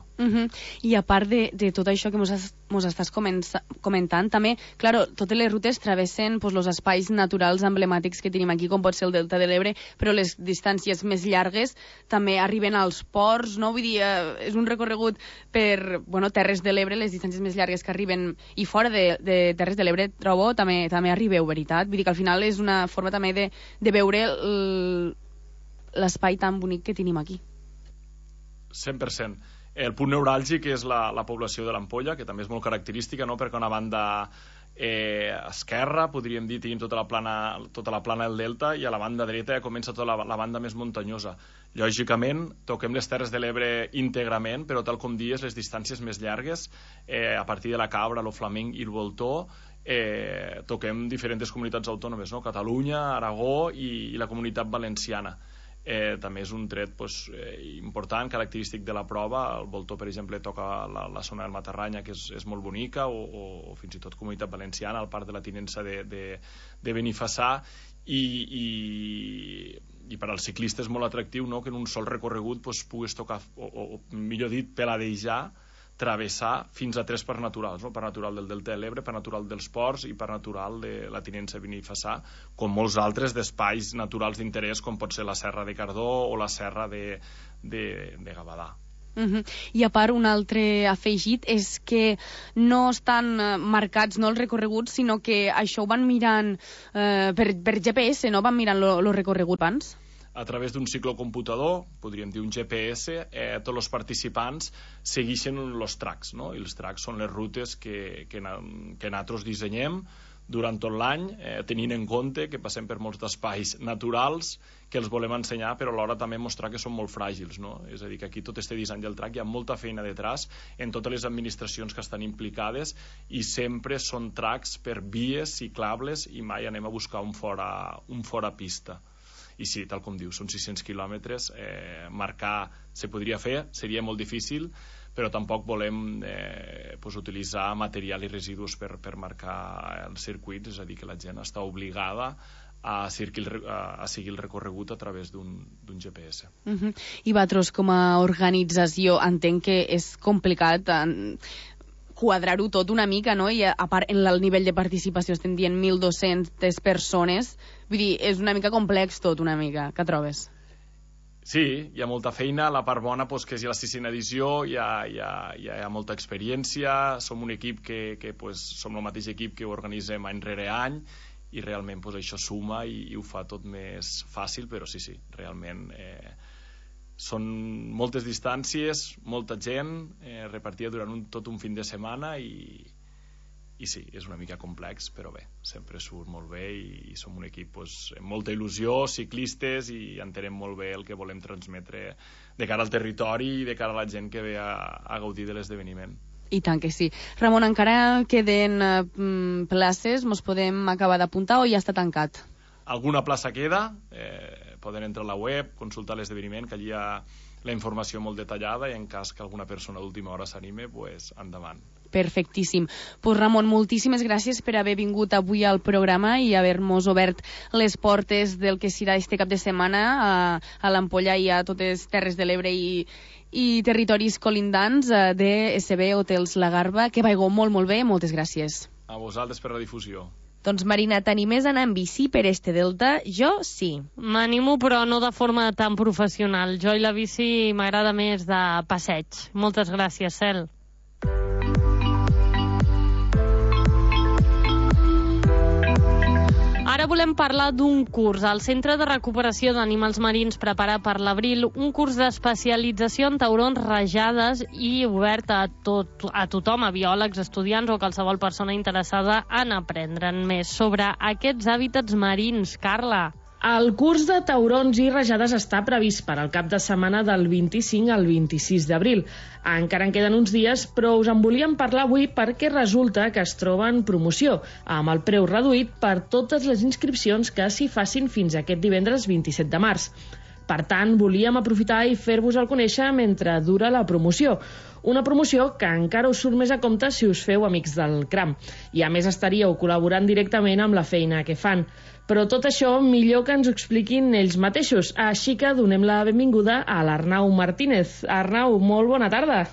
I a part de tot això que mos estàs comentant, també, claro, totes les rutes travessen els espais naturals emblemàtics que tenim aquí, com pot ser el Delta de l'Ebre, però les distàncies més llargues també arriben als ports, no? Vull dir, és un recorregut per Terres de l'Ebre, les distàncies més llargues que arriben, i fora de Terres de l'Ebre, trobo, també arribeu, veritat? Vull dir que al final és una forma també de veure l'espai tan bonic que tenim aquí. 100%. El punt neuràlgic és la població de l'Ampolla, que també és molt característica, no?, perquè una banda esquerra, podríem dir, tenim tota la plana del delta, i a la banda dreta ja comença tota la banda més muntanyosa. Lògicament, toquem les Terres de l'Ebre íntegrament, però tal com dies, les distàncies més llargues, a partir de la Cabra, el Flamenc i el Voltó, toquem diferents comunitats autònomes, no?, Catalunya, Aragó i la Comunitat Valenciana. També és un tret important, característic de la prova. El Voltó, per exemple, toca la zona del Matarranya, que és molt bonica, o fins i tot Comunitat Valenciana, al Parc de la Tinença de Benifassà, i per als ciclistes és molt atractiu, no?, que en un sol recorregut puguis tocar, o millor dit, peladejar, travessar fins a 3 parcs naturals, no? Parc natural del Delta de l'Ebre, parc natural dels Ports i parc natural de la Tinença de Benifassà, com molts altres d'espais naturals d'interès, com pot ser la Serra de Cardó o la Serra de Gavadà. I a part, un altre afegit és que no estan marcats, no, els recorreguts, sinó que això ho van mirant per GPS, no? Van mirant el recorregut abans. A través d'un ciclocomputador, podríem dir un GPS, tots els participants segueixen els tracks, no? I els tracks són les rutes que nosaltres dissenyem durant tot l'any, tenint en compte que passem per molts espais naturals que els volem ensenyar, però alhora també mostrar que són molt fràgils, no? És a dir, que aquí tot este disseny del track hi ha molta feina detrás en totes les administracions que estan implicades, i sempre són tracks per vies ciclables i mai anem a buscar un fora pista. I sí, tal com dius, són 600 quilòmetres, marcar se podria fer, seria molt difícil, però tampoc volem utilitzar material i residus per marcar els circuits, és a dir, que la gent està obligada a seguir el recorregut a través d'un GPS. I vosaltres, com a organització, entenc que és complicat quadrar-ho tot una mica, no? I a part, en el nivell de participació estem dient 1.200 persones. Vull dir, és una mica complex tot, una mica. Què trobes? Sí, hi ha molta feina. La part bona, que és la 6a edició, hi ha molta experiència. Som un equip que som el mateix equip que ho organitzem any rere any, i realment això suma i ho fa tot més fàcil, però sí, realment són moltes distàncies, molta gent repartida durant tot un fin de setmana, i sí, és una mica complex, però bé, sempre surt molt bé, i som un equip amb molta il·lusió, ciclistes, i entenem molt bé el que volem transmetre de cara al territori i de cara a la gent que ve a gaudir de l'esdeveniment. I tant que sí. Ramon, encara queden places, mos podem acabar d'apuntar o ja està tancat? Alguna plaça queda, poden entrar a la web, consultar l'esdeveniment, que allí hi ha la informació molt detallada i en cas que alguna persona d'última hora s'anime, pues, endavant. Perfectíssim. Pues Ramon, moltíssimes gràcies per haver vingut avui al programa i haver-nos obert les portes del que serà este cap de setmana a l'Ampolla i a totes Terres de l'Ebre i territoris colindants de SB Hotels La Garba. Que vaigo molt, molt bé. Moltes gràcies. A vosaltres per la difusió. Doncs Marina, t'animes a anar en bici per este delta? Jo sí. M'animo, però no de forma tan professional. Jo i la bici m'agrada més de passeig. Moltes gràcies, Cel. Ara volem parlar d'un curs. El Centre de Recuperació d'Animals Marins prepara per l'abril un curs d'especialització en taurons rajades i obert a tothom, a biòlegs, estudiants o qualsevol persona interessada en aprendre'n més sobre aquests hàbitats marins. Carla. El curs de taurons i rajades està previst per al cap de setmana del 25 al 26 d'abril. Encara en queden uns dies, però us en volíem parlar avui perquè resulta que es troba en promoció, amb el preu reduït per totes les inscripcions que s'hi facin fins aquest divendres 27 de març. Per tant, volíem aprofitar i fer-vos el conèixer mentre dura la promoció. Una promoció que encara us surt més a compte si us feu amics del CRAM. I a més estaríeu col·laborant directament amb la feina que fan. Però tot això millor que ens ho expliquin ells mateixos. Així que donem la benvinguda a l'Arnau Martínez. Arnau, molt bona tarda.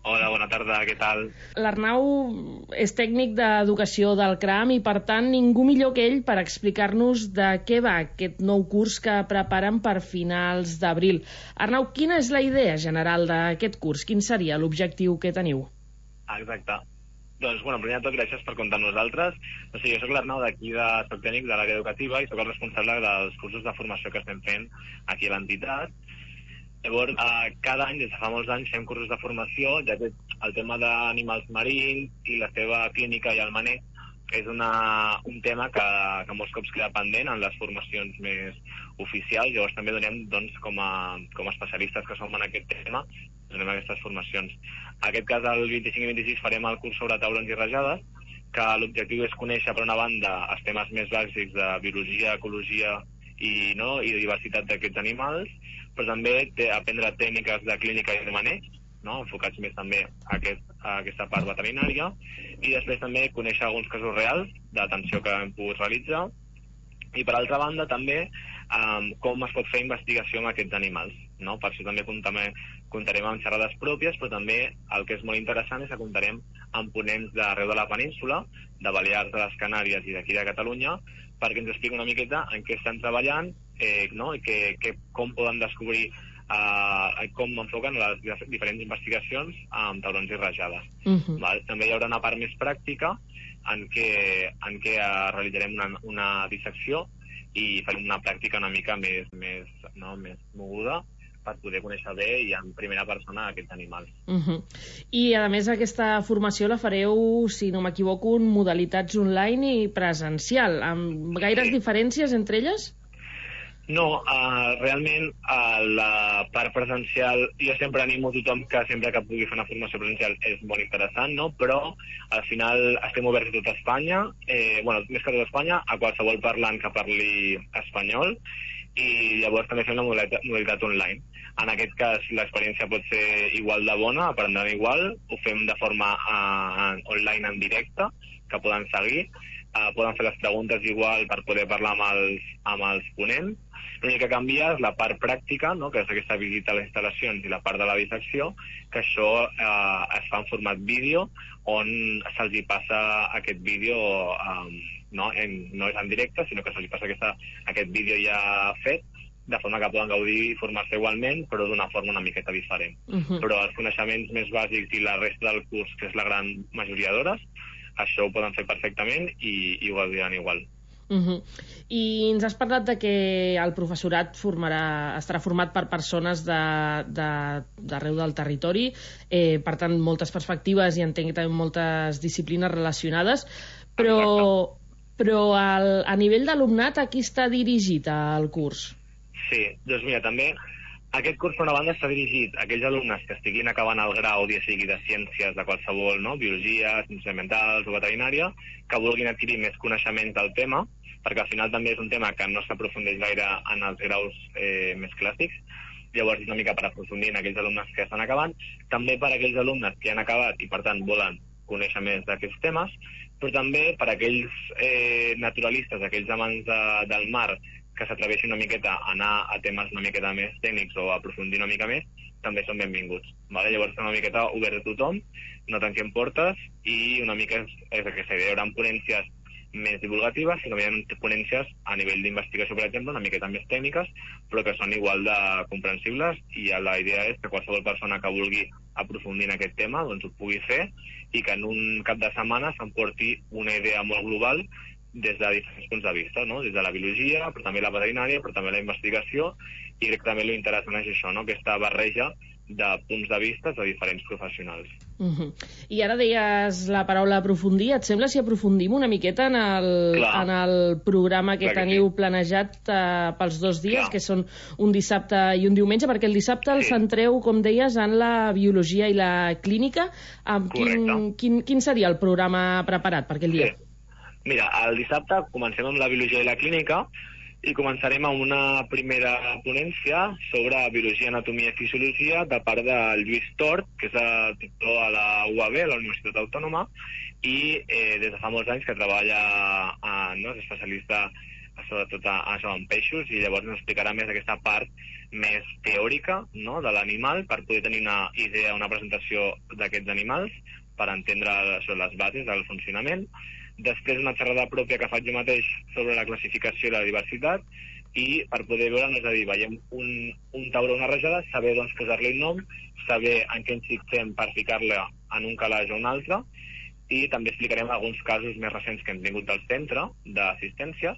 Hola, bona tarda, què tal? L'Arnau és tècnic d'educació del CRAM i, per tant, ningú millor que ell per explicar-nos de què va aquest nou curs que preparen per finals d'abril. Arnau, quina és la idea general d'aquest curs? Quin seria l'objectiu que teniu? Exacte. Doncs, primer de tot, gràcies per comptar amb nosaltres. Jo soc l'Arnau soc tècnic de l'àrea educativa i soc el responsable dels cursos de formació que estem fent aquí a l'entitat. Llavors, cada any, des de fa molts anys, fem cursos de formació, ja que el tema d'animals marins i la seva clínica i el maneig és un tema que molts cops queda pendent en les formacions més oficials. Llavors també donem, com a especialistes que som en aquest tema, donem aquestes formacions. En aquest cas, el 25 i 26 farem el curs sobre taurons i rajades, que l'objectiu és conèixer, per una banda, els temes més bàsics de biologia, ecologia i diversitat d'aquests animals, però també aprendre tècniques de clínica i de maneig, enfocats més també a aquesta part veterinària, i després també conèixer alguns casos reals d'atenció que hem pogut realitzar, i per altra banda també com es pot fer investigació amb aquests animals. Per això també comptarem amb xerrades pròpies, però també el que és molt interessant és que comptarem amb ponents d'arreu de la península, de Balears, de les Canàries i d'aquí de Catalunya, perquè ens expliqui una miqueta en què estan treballant i com poden descobrir com enfoquen les diferents investigacions amb taurons i rajades. També hi haurà una part més pràctica en què realitzarem una dissecció i farem una pràctica una mica més moguda per poder conèixer bé i en primera persona aquests animals. I, a més, aquesta formació la fareu, si no m'equivoco, en modalitats online i presencial, amb gaires diferències entre elles? No, realment la part presencial, jo sempre animo tothom que sempre que pugui fer una formació presencial és molt interessant, però al final estem oberts a tot Espanya, més que a tot Espanya, a qualsevol parlant que parli espanyol, i llavors també fem la modalitat online. En aquest cas l'experiència pot ser igual de bona, aprendran igual, ho fem de forma online en directe, que poden seguir, poden fer les preguntes igual per poder parlar amb els ponents. L'únic que canvia és la part pràctica, que és aquesta visita a les instal·lacions i la part de la dissecció, que això es fa en format vídeo, on se'ls passa aquest vídeo, no és en directe, sinó que se'ls passa aquest vídeo ja fet, de forma que poden gaudir i formar-se igualment, però d'una forma una miqueta diferent. Però els coneixements més bàsics i la resta del curs, que és la gran majoria d'hores, això ho poden fer perfectament i ho gaudiran igual. I ens has parlat de que el professorat estarà format per persones d'arreu del territori, per tant moltes perspectives i entenc també moltes disciplines relacionades, però a nivell d'alumnat a qui està dirigit el curs? Sí, doncs mira, també Aquest curs, per una banda, està dirigit a aquells alumnes que estiguin acabant el grau, ja sigui de ciències de qualsevol, no? Biologia, ciències ambientals o veterinària, que vulguin adquirir més coneixements del tema, perquè al final també és un tema que no s'aprofundeix gaire en els graus més clàssics. Llavors és una mica per aprofundir en aquells alumnes que estan acabant, també per aquells alumnes que han acabat i per tant volen conèixer més d'aquests temes, però també per aquells naturalistes, aquells amants del mar, que s'atreveixin una miqueta a anar a temes una miqueta més tècnics o a aprofundir una mica més, també són benvinguts. Vale? Llavors, una miqueta obert a tothom, no tanquem portes, i una mica és aquesta idea. Hi haurà ponències més divulgatives, sinó que hi ha ponències a nivell d'investigació, per exemple, una miqueta més tècniques, però que són igual de comprensibles, i la idea és que qualsevol persona que vulgui aprofundir en aquest tema doncs ho pugui fer, i que en un cap de setmana s'emporti una idea molt global des de diferents punts de vista, no? Des de la biologia, però també la veterinària, però també la investigació, i crec que també l'interessant és això, no? Aquesta barreja de punts de vista de diferents professionals. I ara deies la paraula aprofundir. Et sembla si aprofundim una miqueta en el programa que teniu planejat pels 2 dies, que són un dissabte i un diumenge, perquè el dissabte el centreu, com deies, en la biologia i la clínica. Quin seria el programa preparat per aquell dia? Mira, el dissabte comencem amb la biologia i la clínica, i començarem amb una primera ponència sobre biologia, anatomia i fisiologia de part del Lluís Tort, que és el doctor a la UAB, a la Universitat Autònoma, i des de fa molts anys que treballa, és especialista sobretot en peixos, i llavors ens explicarà més aquesta part més teòrica, no?, de l'animal, per poder tenir una idea, una presentació d'aquests animals, per entendre les bases del funcionament. Després una xerrada pròpia que faig jo mateix sobre la classificació i la diversitat, i per poder veure, és a dir, veiem un tauró o una rajada, saber doncs posar-li el nom, saber en què ens fixem per ficar-la en un calaix o un altre, i també explicarem alguns casos més recents que hem tingut del centre d'assistència.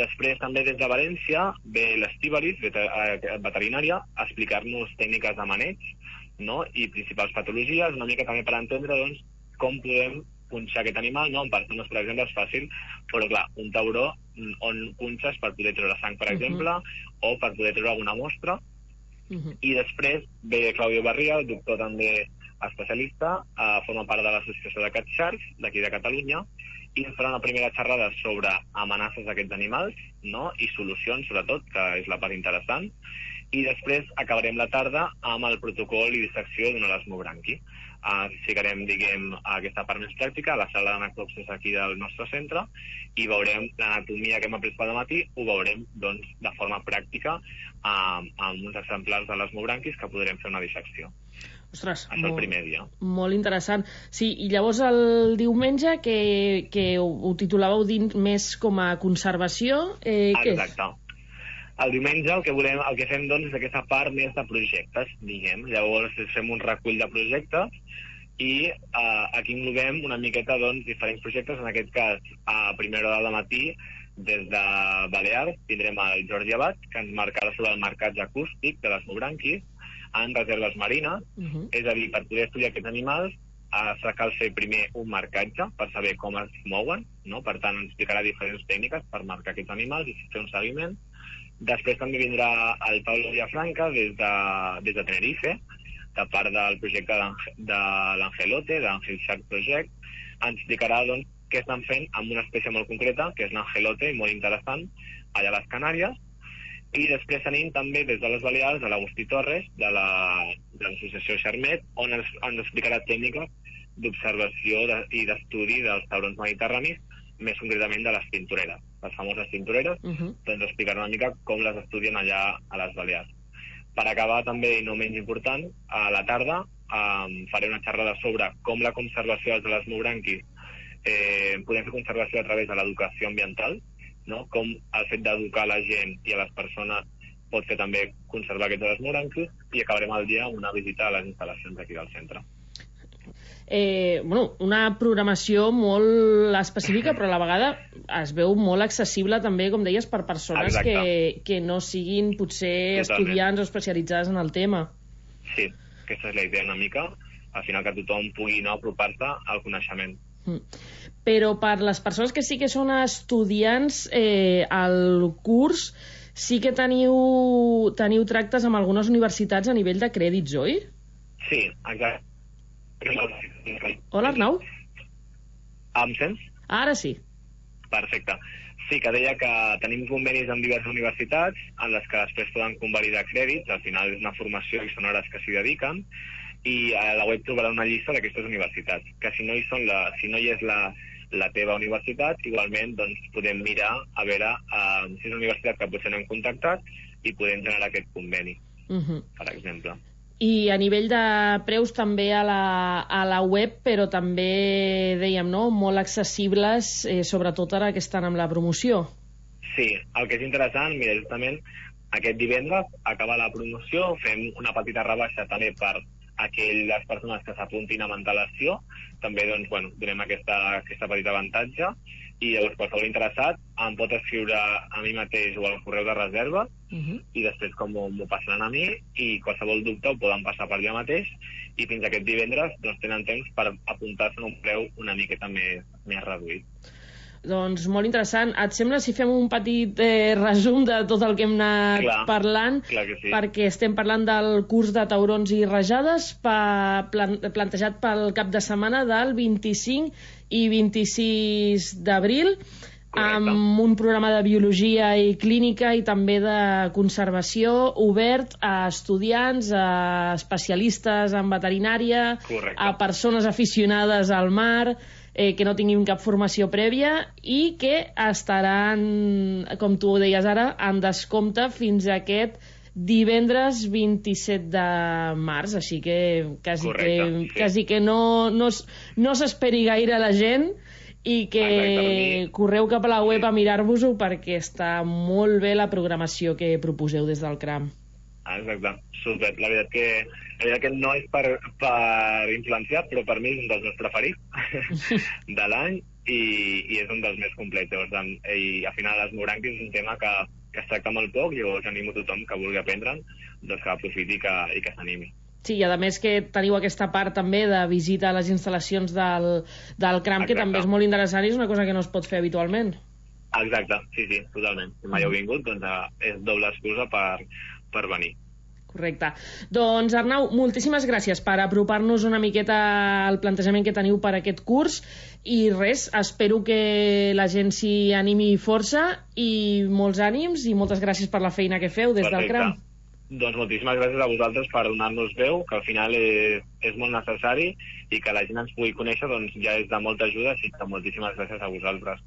Després també des de València ve l'Estíbalis, veterinària, a explicar-nos tècniques de maneig, no?, i principals patologies, una mica també per entendre doncs com podem punxar aquest animal, no? En persones, per exemple, és fàcil, però clar, un tauró on punxes per poder treure sang, per exemple, o per poder treure alguna mostra. I després ve Claudio Barria, el doctor també especialista, forma part de l'Associació de Cat Sharks, d'aquí de Catalunya, i ens farà una primera xerrada sobre amenaces d'aquests animals, no?, i solucions, sobretot, que és la part interessant. I després acabarem la tarda amb el protocol i dissecció d'un elasmobranqui. Ficarem, diguem, aquesta part més pràctica a la sala d'anactopsis aquí del nostre centre, i veurem l'anatomia que hem après pel matí, ho veurem doncs de forma pràctica amb uns exemplars de l'elasmobranquis que podrem fer una dissecció. Ostres, el primer dia. Molt interessant. Sí, i llavors el diumenge, que ho titulàveu dins més com a conservació, què és? Exacte. El diumenge el que fem doncs és aquesta part més de projectes, diguem. Llavors fem un recull de projectes i aquí englobem una miqueta doncs diferents projectes. En aquest cas, a primera hora del matí, des de Balears, tindrem el Jordi Abad, que ens marcarà sobre el marcatge acústic de l'elasmobranquis en reserves marines. És a dir, per poder estudiar aquests animals cal fer primer un marcatge per saber com es mouen, no? Per tant, ens explicarà diferents tècniques per marcar aquests animals i fer un seguiment. Després també vindrà el Pablo Villafranca des de Tenerife, de part del projecte de l'Angelote, de l'Angel Shark Project. Ens explicarà doncs, què estan fent amb una espècie molt concreta, que és l'Angelote, molt interessant, allà a les Canàries. I després tenim també des de les Balears l'Agustí Torres, de l'associació Xarmet, on ens explicarà tècniques d'observació i d'estudi dels taurons mediterranis, més concretament de les tintoreres, les famoses tintoreres, doncs explicarà una mica com les estudien allà a les Balears. Per acabar també, i no menys important, a la tarda faré una xerrada sobre com la conservació dels elasmobranquis podem fer conservació a través de l'educació ambiental, no? Com el fet d'educar la gent i a les persones pot fer també conservar aquests elasmobranquis, i acabarem el dia amb una visita a les instal·lacions aquí del centre. Una programació molt específica, però a la vegada es veu molt accessible també, com deies, per persones que no siguin potser estudiants o especialitzades en el tema. Sí, aquesta és la idea una mica, al final que tothom pugui apropar-se al coneixement. Però per les persones que sí que són estudiants, el curs sí que teniu tractes amb algunes universitats a nivell de crèdits, oi? Sí, exacte. Hola, Arnau? Em sents? Ara sí. Perfecte. Sí, que deia que tenim convenis amb diverses universitats en les que després poden convalidar crèdits, al final és una formació i són hores que s'hi dediquen, i a la web trobarà una llista d'aquestes universitats, que si no hi és la teva universitat, igualment doncs, podem mirar a veure si és una universitat que potser no hem contactat i podem generar aquest conveni, per exemple. I a nivell de preus també a la web, però també, dèiem, no?, molt accessibles, sobretot ara que estan amb la promoció. Sí, el que és interessant, mira, justament aquest divendres acaba la promoció, fem una petita rebaixa també per aquelles persones que s'apuntin amb antelació, també doncs, bueno, donem aquesta petita avantatge, i llavors qualsevol interessat em pot escriure a mi mateix o al correu de reserva, i després com m'ho passaran a mi, i qualsevol dubte ho poden passar per allà mateix, i fins aquest divendres doncs, tenen temps per apuntar-se a un preu una miqueta més reduït. Doncs molt interessant. Et sembla si fem un petit resum de tot el que hem anat parlant? Clar que sí. Perquè estem parlant del curs de taurons i rajades plantejat pel cap de setmana del 25 i 26 d'abril, amb un programa de biologia i clínica i també de conservació obert a estudiants, a especialistes en veterinària, a persones aficionades al mar, que no tinguin cap formació prèvia i que estaran, com tu ho deies ara, en descompte fins a aquest divendres 27 de març, així que quasi que no s'esperi gaire la gent i que correu cap a la web a mirar-vos-ho perquè està molt bé la programació que proposeu des del CRAM. Exacte, super. La veritat que no és per influenciar, però per mi és un dels meus preferits de l'any i és un dels més complets. I al final l'esmorànquia és un tema que es tracta molt poc, i llavors animo a tothom que vulgui aprendre'n doncs que aprofiti i que s'animi. Sí, i a més que teniu aquesta part també de visita a les instal·lacions del CRAM, que també és molt interessant i és una cosa que no es pot fer habitualment. Exacte, sí, totalment. Si mai heu vingut, doncs és doble excusa per venir. Correcte. Doncs Arnau, moltíssimes gràcies per apropar-nos una miqueta al plantejament que teniu per aquest curs i res, espero que la gent s'hi animi força i molts ànims i moltes gràcies per la feina que feu des del CRAM. Doncs moltíssimes gràcies a vosaltres per donar-nos veu, que al final és molt necessari i que la gent ens pugui conèixer doncs ja és de molta ajuda, així que moltíssimes gràcies a vosaltres.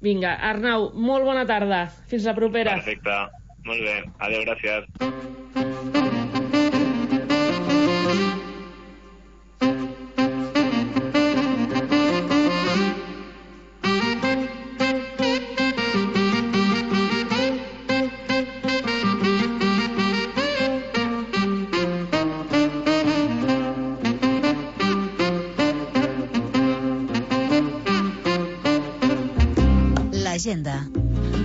Vinga, Arnau, molt bona tarda. Fins la propera. Perfecte. Molt bé. Adéu, gràcies. L'agenda.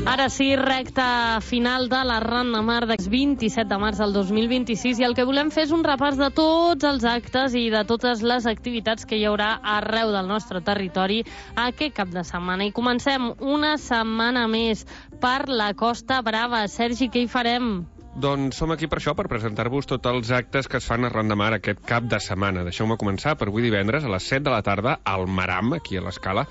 Ara sí, recta final de la Ran de Mar del 27 de març del 2026 i el que volem fer és un repàs de tots els actes i de totes les activitats que hi haurà arreu del nostre territori aquest cap de setmana. I comencem una setmana més per la Costa Brava. Sergi, què hi farem? Doncs som aquí per això, per presentar-vos tots els actes que es fan a Ran de Mar aquest cap de setmana. Deixeu-me començar per avui divendres a les 7 de la tarda al Maram, aquí a l'Escala.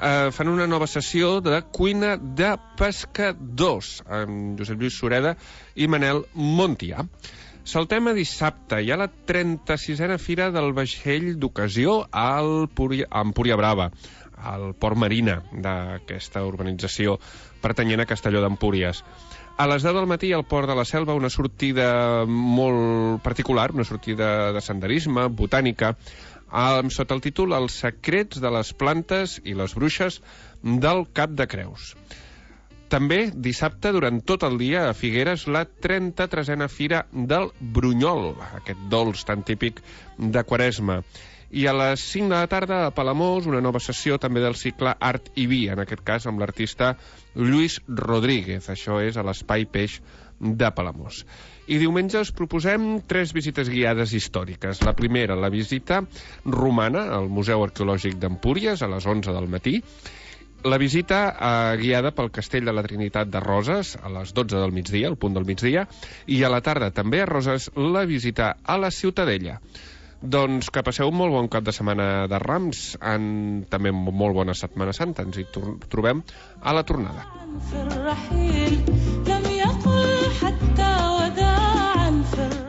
Fan una nova sessió de cuina de pescadors amb Josep Lluís Sureda i Manel Montià. Saltem a dissabte. Hi ha la 36a Fira del Vaixell d'Ocasió a Empúria Brava, al Port Marina d'aquesta urbanització pertanyent a Castelló d'Empúries. A les 10 del matí al Port de la Selva una sortida molt particular, una sortida de senderisme, botànica, sota el títol Els secrets de les plantes i les bruixes del Cap de Creus. També dissabte, durant tot el dia, a Figueres, la 33a Fira del Brunyol, aquest dolç tan típic de Quaresma. I a les 5 de la tarda, a Palamós, una nova sessió també del cicle Art i Vi, en aquest cas amb l'artista Lluís Rodríguez. Això és a l'Espai Peix de Palamós. I diumenge us proposem 3 visites guiades històriques. La primera, la visita romana al Museu Arqueològic d'Empúries, a les 11 del matí. La visita guiada pel Castell de la Trinitat de Roses a les 12 del migdia, al punt del migdia, i a la tarda també a Roses la visita a la Ciutadella. Doncs que passeu un molt bon cap de setmana de Rams, també molt bona Setmana Santa. Ens hi trobem a la tornada.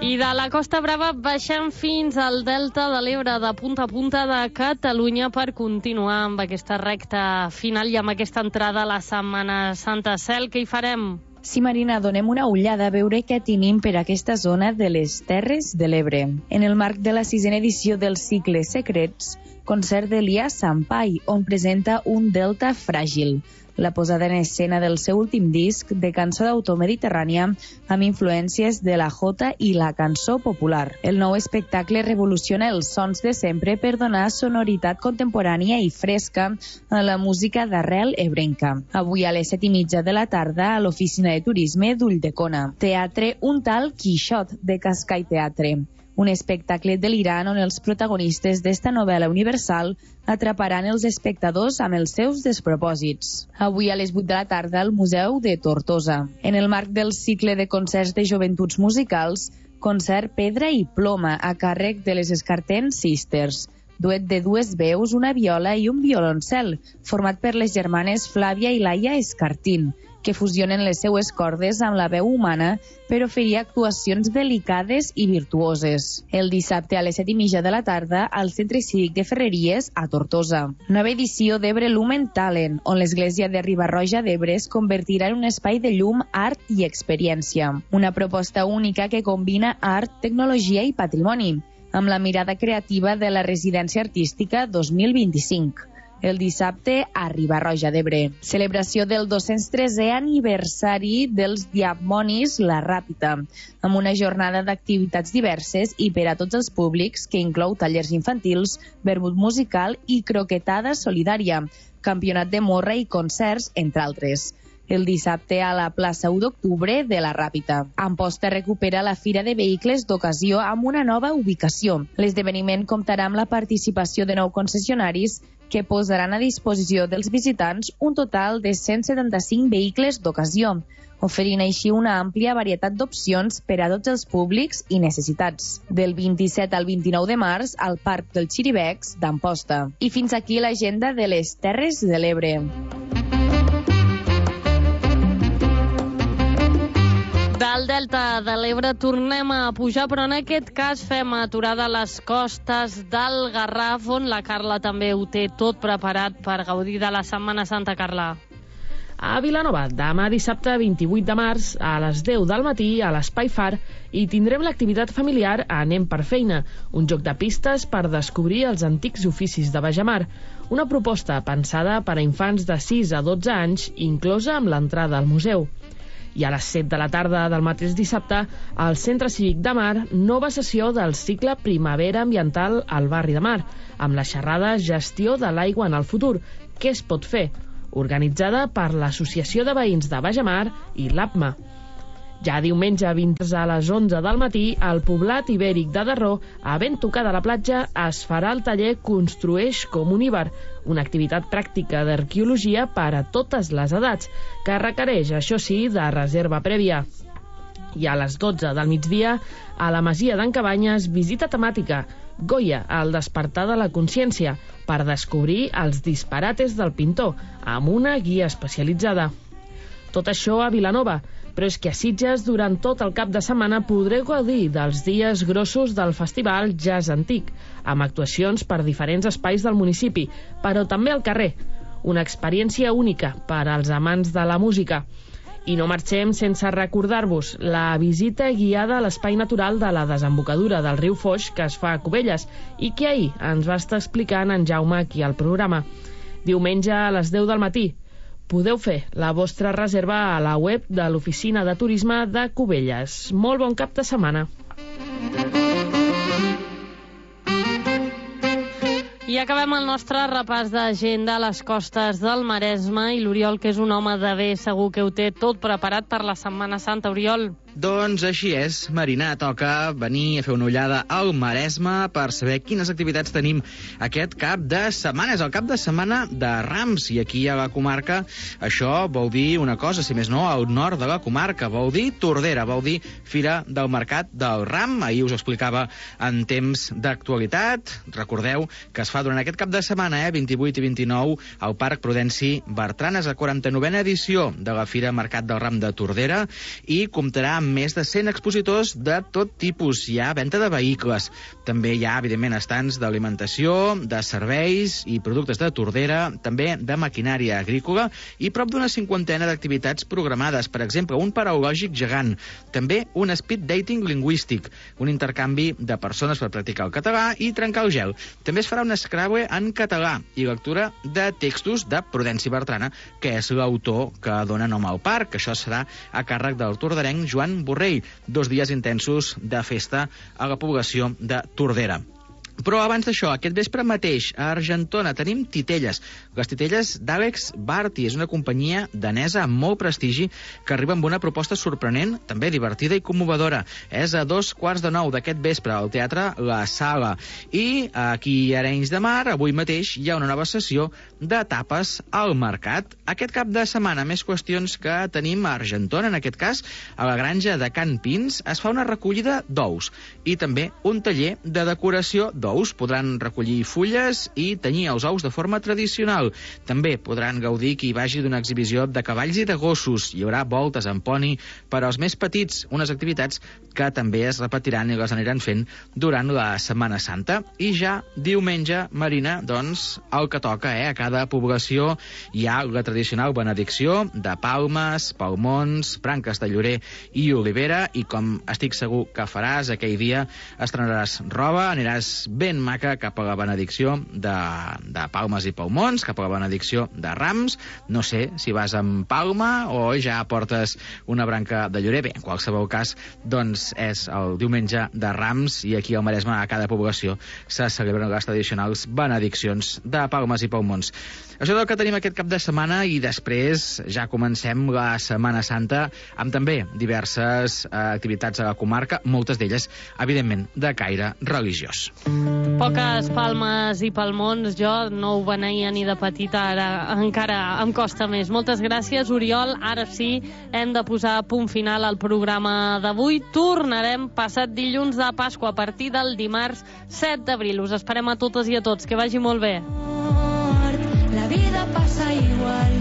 I de la Costa Brava baixem fins al Delta de l'Ebre, de punta a punta de Catalunya, per continuar amb aquesta recta final i amb aquesta entrada a la Setmana Santa. Cel, què hi farem? Sí, Marina, donem una ullada a veure què tenim per aquesta zona de les Terres de l'Ebre. En el marc de la 6a edició del cicle Secrets, concert d'Elià Sampai, on presenta un delta fràgil. La posada en escena del seu últim disc de cançó d'autor mediterrània amb influències de la jota i la cançó popular. El nou espectacle revoluciona els sons de sempre per donar sonoritat contemporània i fresca a la música d'arrel ebrenca. Avui a les 7:30 de la tarda a l'Oficina de Turisme d'Ulldecona. Teatre Un tal Quixot, de Cascai Teatre. Un espectacle delirant on els protagonistes d'esta novel·la universal atraparan els espectadors amb els seus despropòsits. Avui a les 8 de la tarda al Museu de Tortosa. En el marc del cicle de concerts de joventuts musicals, concert Pedra i Ploma a càrrec de les Escartent Sisters. Duet de dues veus, una viola i un violoncel, format per les germanes Flàvia i Laia Escartín, que fusionen les seues cordes amb la veu humana per oferir actuacions delicades i virtuoses. El dissabte a les 7:30 de la tarda al Centre Cívic de Ferreries a Tortosa. Nova edició d'Ebre Lumen Talent, on l'església de Riba-roja d'Ebre es convertirà en un espai de llum, art i experiència. Una proposta única que combina art, tecnologia i patrimoni, amb la mirada creativa de la Residència Artística 2025. El dissabte a Riba-roja d'Ebre. Celebració del 203è aniversari dels Diamonis La Ràpita, amb una jornada d'activitats diverses i per a tots els públics, que inclou tallers infantils, vermut musical i croquetada solidària, campionat de morra i concerts, entre altres. El dissabte a la plaça 1 d'octubre de la Ràpita. Amposta recupera la Fira de Vehicles d'Ocasió amb una nova ubicació. L'esdeveniment comptarà amb la participació de 9 concessionaris que posaran a disposició dels visitants un total de 175 vehicles d'ocasió, oferint així una àmplia varietat d'opcions per a tots els públics i necessitats. Del 27 al 29 de març al Parc del Xiribecs d'Amposta. I fins aquí l'agenda de les Terres de l'Ebre. Del Delta de l'Ebre tornem a pujar, però en aquest cas fem aturada a les costes del Garraf, on la Carla també ho té tot preparat per gaudir de la Setmana Santa. Carla. A Vilanova, demà dissabte 28 de març, a les 10 del matí, a l'Espai Far, hi tindrem l'activitat familiar Anem per feina, un joc de pistes per descobrir els antics oficis de Bajamar, una proposta pensada per a infants de 6 a 12 anys, inclosa amb l'entrada al museu. I a les 7 de la tarda del mateix dissabte, al Centre Cívic de Mar, nova sessió del cicle Primavera Ambiental al barri de Mar, amb la xerrada Gestió de l'aigua en el futur, què es pot fer?, organitzada per l'Associació de Veïns de Bajamar i l'APMA. Ja diumenge 20 a les 11 del matí, al poblat ibèric de Darró, a ben tocada a la platja, es farà el taller Construeix com un Iber, una activitat pràctica d'arqueologia per a totes les edats, que requereix, això sí, de reserva prèvia. I a les 12 del migdia, a la Masia d'en Cabanyes, visita temàtica, Goya, el despertar de la consciència, per descobrir els disparates del pintor, amb una guia especialitzada. Tot això a Vilanova, però és que a Sitges, durant tot el cap de setmana, podreu gaudir dels dies grossos del Festival Jazz Antic, amb actuacions per diferents espais del municipi, però també al carrer. Una experiència única per als amants de la música. I no marxem sense recordar-vos la visita guiada a l'espai natural de la desembocadura del riu Foix que es fa a Cubelles i que ahir ens va estar explicant en Jaume aquí al programa. Diumenge a les 10 del matí. Podeu fer la vostra reserva a la web de l'Oficina de Turisme de Cubelles. Molt bon cap de setmana. I acabem el nostre repàs d'agenda a les costes del Maresme i l'Oriol, que és un home de bé, segur que ho té tot preparat per la Setmana Santa. Oriol. Doncs així és, Marina, toca venir a fer una ullada al Maresme per saber quines activitats tenim aquest cap de setmana. És el cap de setmana de Rams, i aquí a la comarca això vol dir una cosa, si més no, al nord de la comarca, vol dir Tordera, vol dir Fira del Mercat del Ram. Ahir us ho explicava en temps d'actualitat. Recordeu que es fa durant aquest cap de setmana, 28 i 29, al Parc Prudenci Bertran. És la 49a edició de la Fira Mercat del Ram de Tordera i comptarà amb més de 100 expositors de tot tipus. Hi ha venda de vehicles, també hi ha, evidentment, estants d'alimentació, de serveis i productes de Tordera, també de maquinària agrícola i prop d'una 50a d'activitats programades. Per exemple, un paraulògic gegant, també un speed dating lingüístic, un intercanvi de persones per practicar el català i trencar el gel. També es farà un Scrabble en català i lectura de textos de Prudenci Bertrana, que és l'autor que dona nom al parc. Això serà a càrrec del torderenc Joan Borrell. 2 dies intensos de festa a la població de Tordera. Però abans d'això, aquest vespre mateix, a Argentona, tenim titelles. Les titelles d'Àlex Barty. És una companyia danesa amb molt prestigi que arriba amb una proposta sorprenent, també divertida i commovedora. És a 8:45 d'aquest vespre al Teatre La Sala. I aquí a Arenys de Mar, avui mateix, hi ha una nova sessió de tapes al mercat. Aquest cap de setmana, més qüestions que tenim a Argentona, en aquest cas, a la granja de Can Pins, es fa una recollida d'ous i també un taller de decoració d'ous. Podran recollir fulles i tenyir els ous de forma tradicional. També podran gaudir qui vagi d'una exhibició de cavalls i de gossos. Hi haurà voltes en poni per als més petits, unes activitats que també es repetiran i les aniran fent durant la Setmana Santa. I ja diumenge, Marina, doncs, el que toca, a cada població hi ha la tradicional benedicció de palmes, palmons, branques de llorer i olivera, i com estic segur que faràs aquell dia, estrenaràs roba, aniràs ben maca cap a la benedicció de palmes i palmons, cap a la benedicció de Rams. No sé si vas amb palma o ja portes una branca de llorer. Bé, en qualsevol cas, doncs és el diumenge de Rams i aquí al Maresme, a cada població, se celebren les tradicionals benediccions de palmes i palmons. Això és el que tenim aquest cap de setmana i després ja comencem la Setmana Santa amb també diverses activitats a la comarca, moltes d'elles, evidentment, de caire religiós. Poques palmes i palmons, jo no ho beneïa ni de petita, ara encara em costa més. Moltes gràcies, Oriol. Ara sí, hem de posar punt final al programa d'avui. Tornarem passat dilluns de Pasqua a partir del dimarts 7 d'abril. Us esperem a totes i a tots. Que vagi molt bé. La vida passa igual.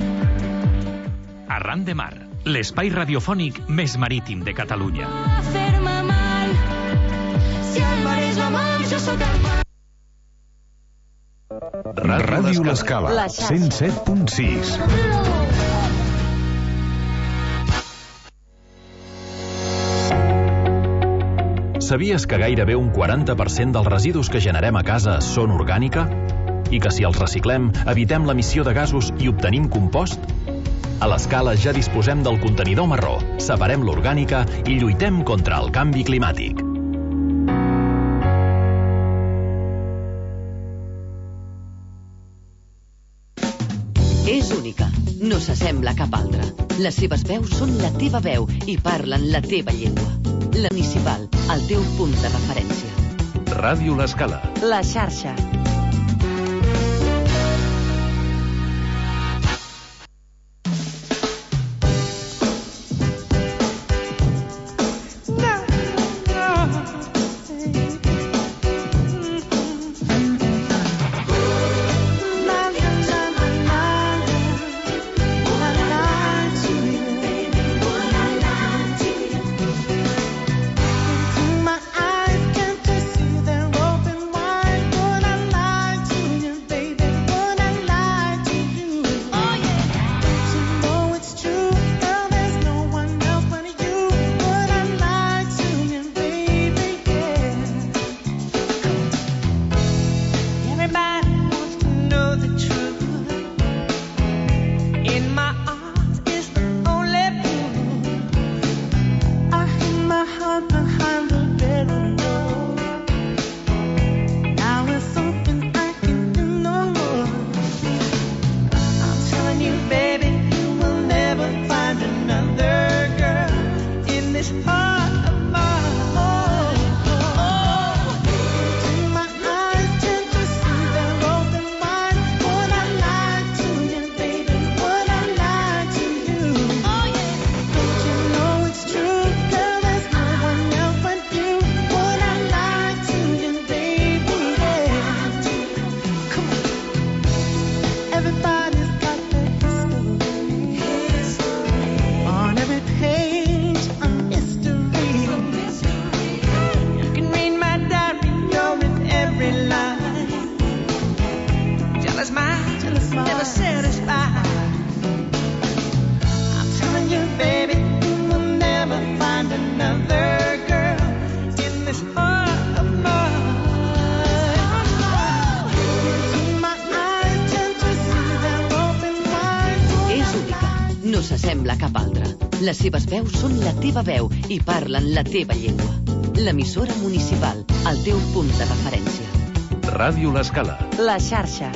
Arran de Mar, l'espai radiofònic més marítim de Catalunya. Fer-me mal, si el mar és la mar, jo sóc el mar. Ràdio L'Escala, 107.6. Sabies que gairebé un 40% dels residus que generem a casa són orgànica? I que si els reciclem, evitem l'emissió de gasos i obtenim compost? A l'Escala ja disposem del contenidor marró, separem l'orgànica i lluitem contra el canvi climàtic. És única, no s'assembla a cap altra. Les seves veus són la teva veu i parlen la teva llengua. La Municipal, el teu punt de referència. Ràdio L'Escala. La xarxa. My eyes can't just see, they're open wide. no s'assembla a cap altra. Les seves veus són la teva veu i parlen la teva llengua. L'emissora municipal, el teu punt de referència. Ràdio L'Escala. La xarxa.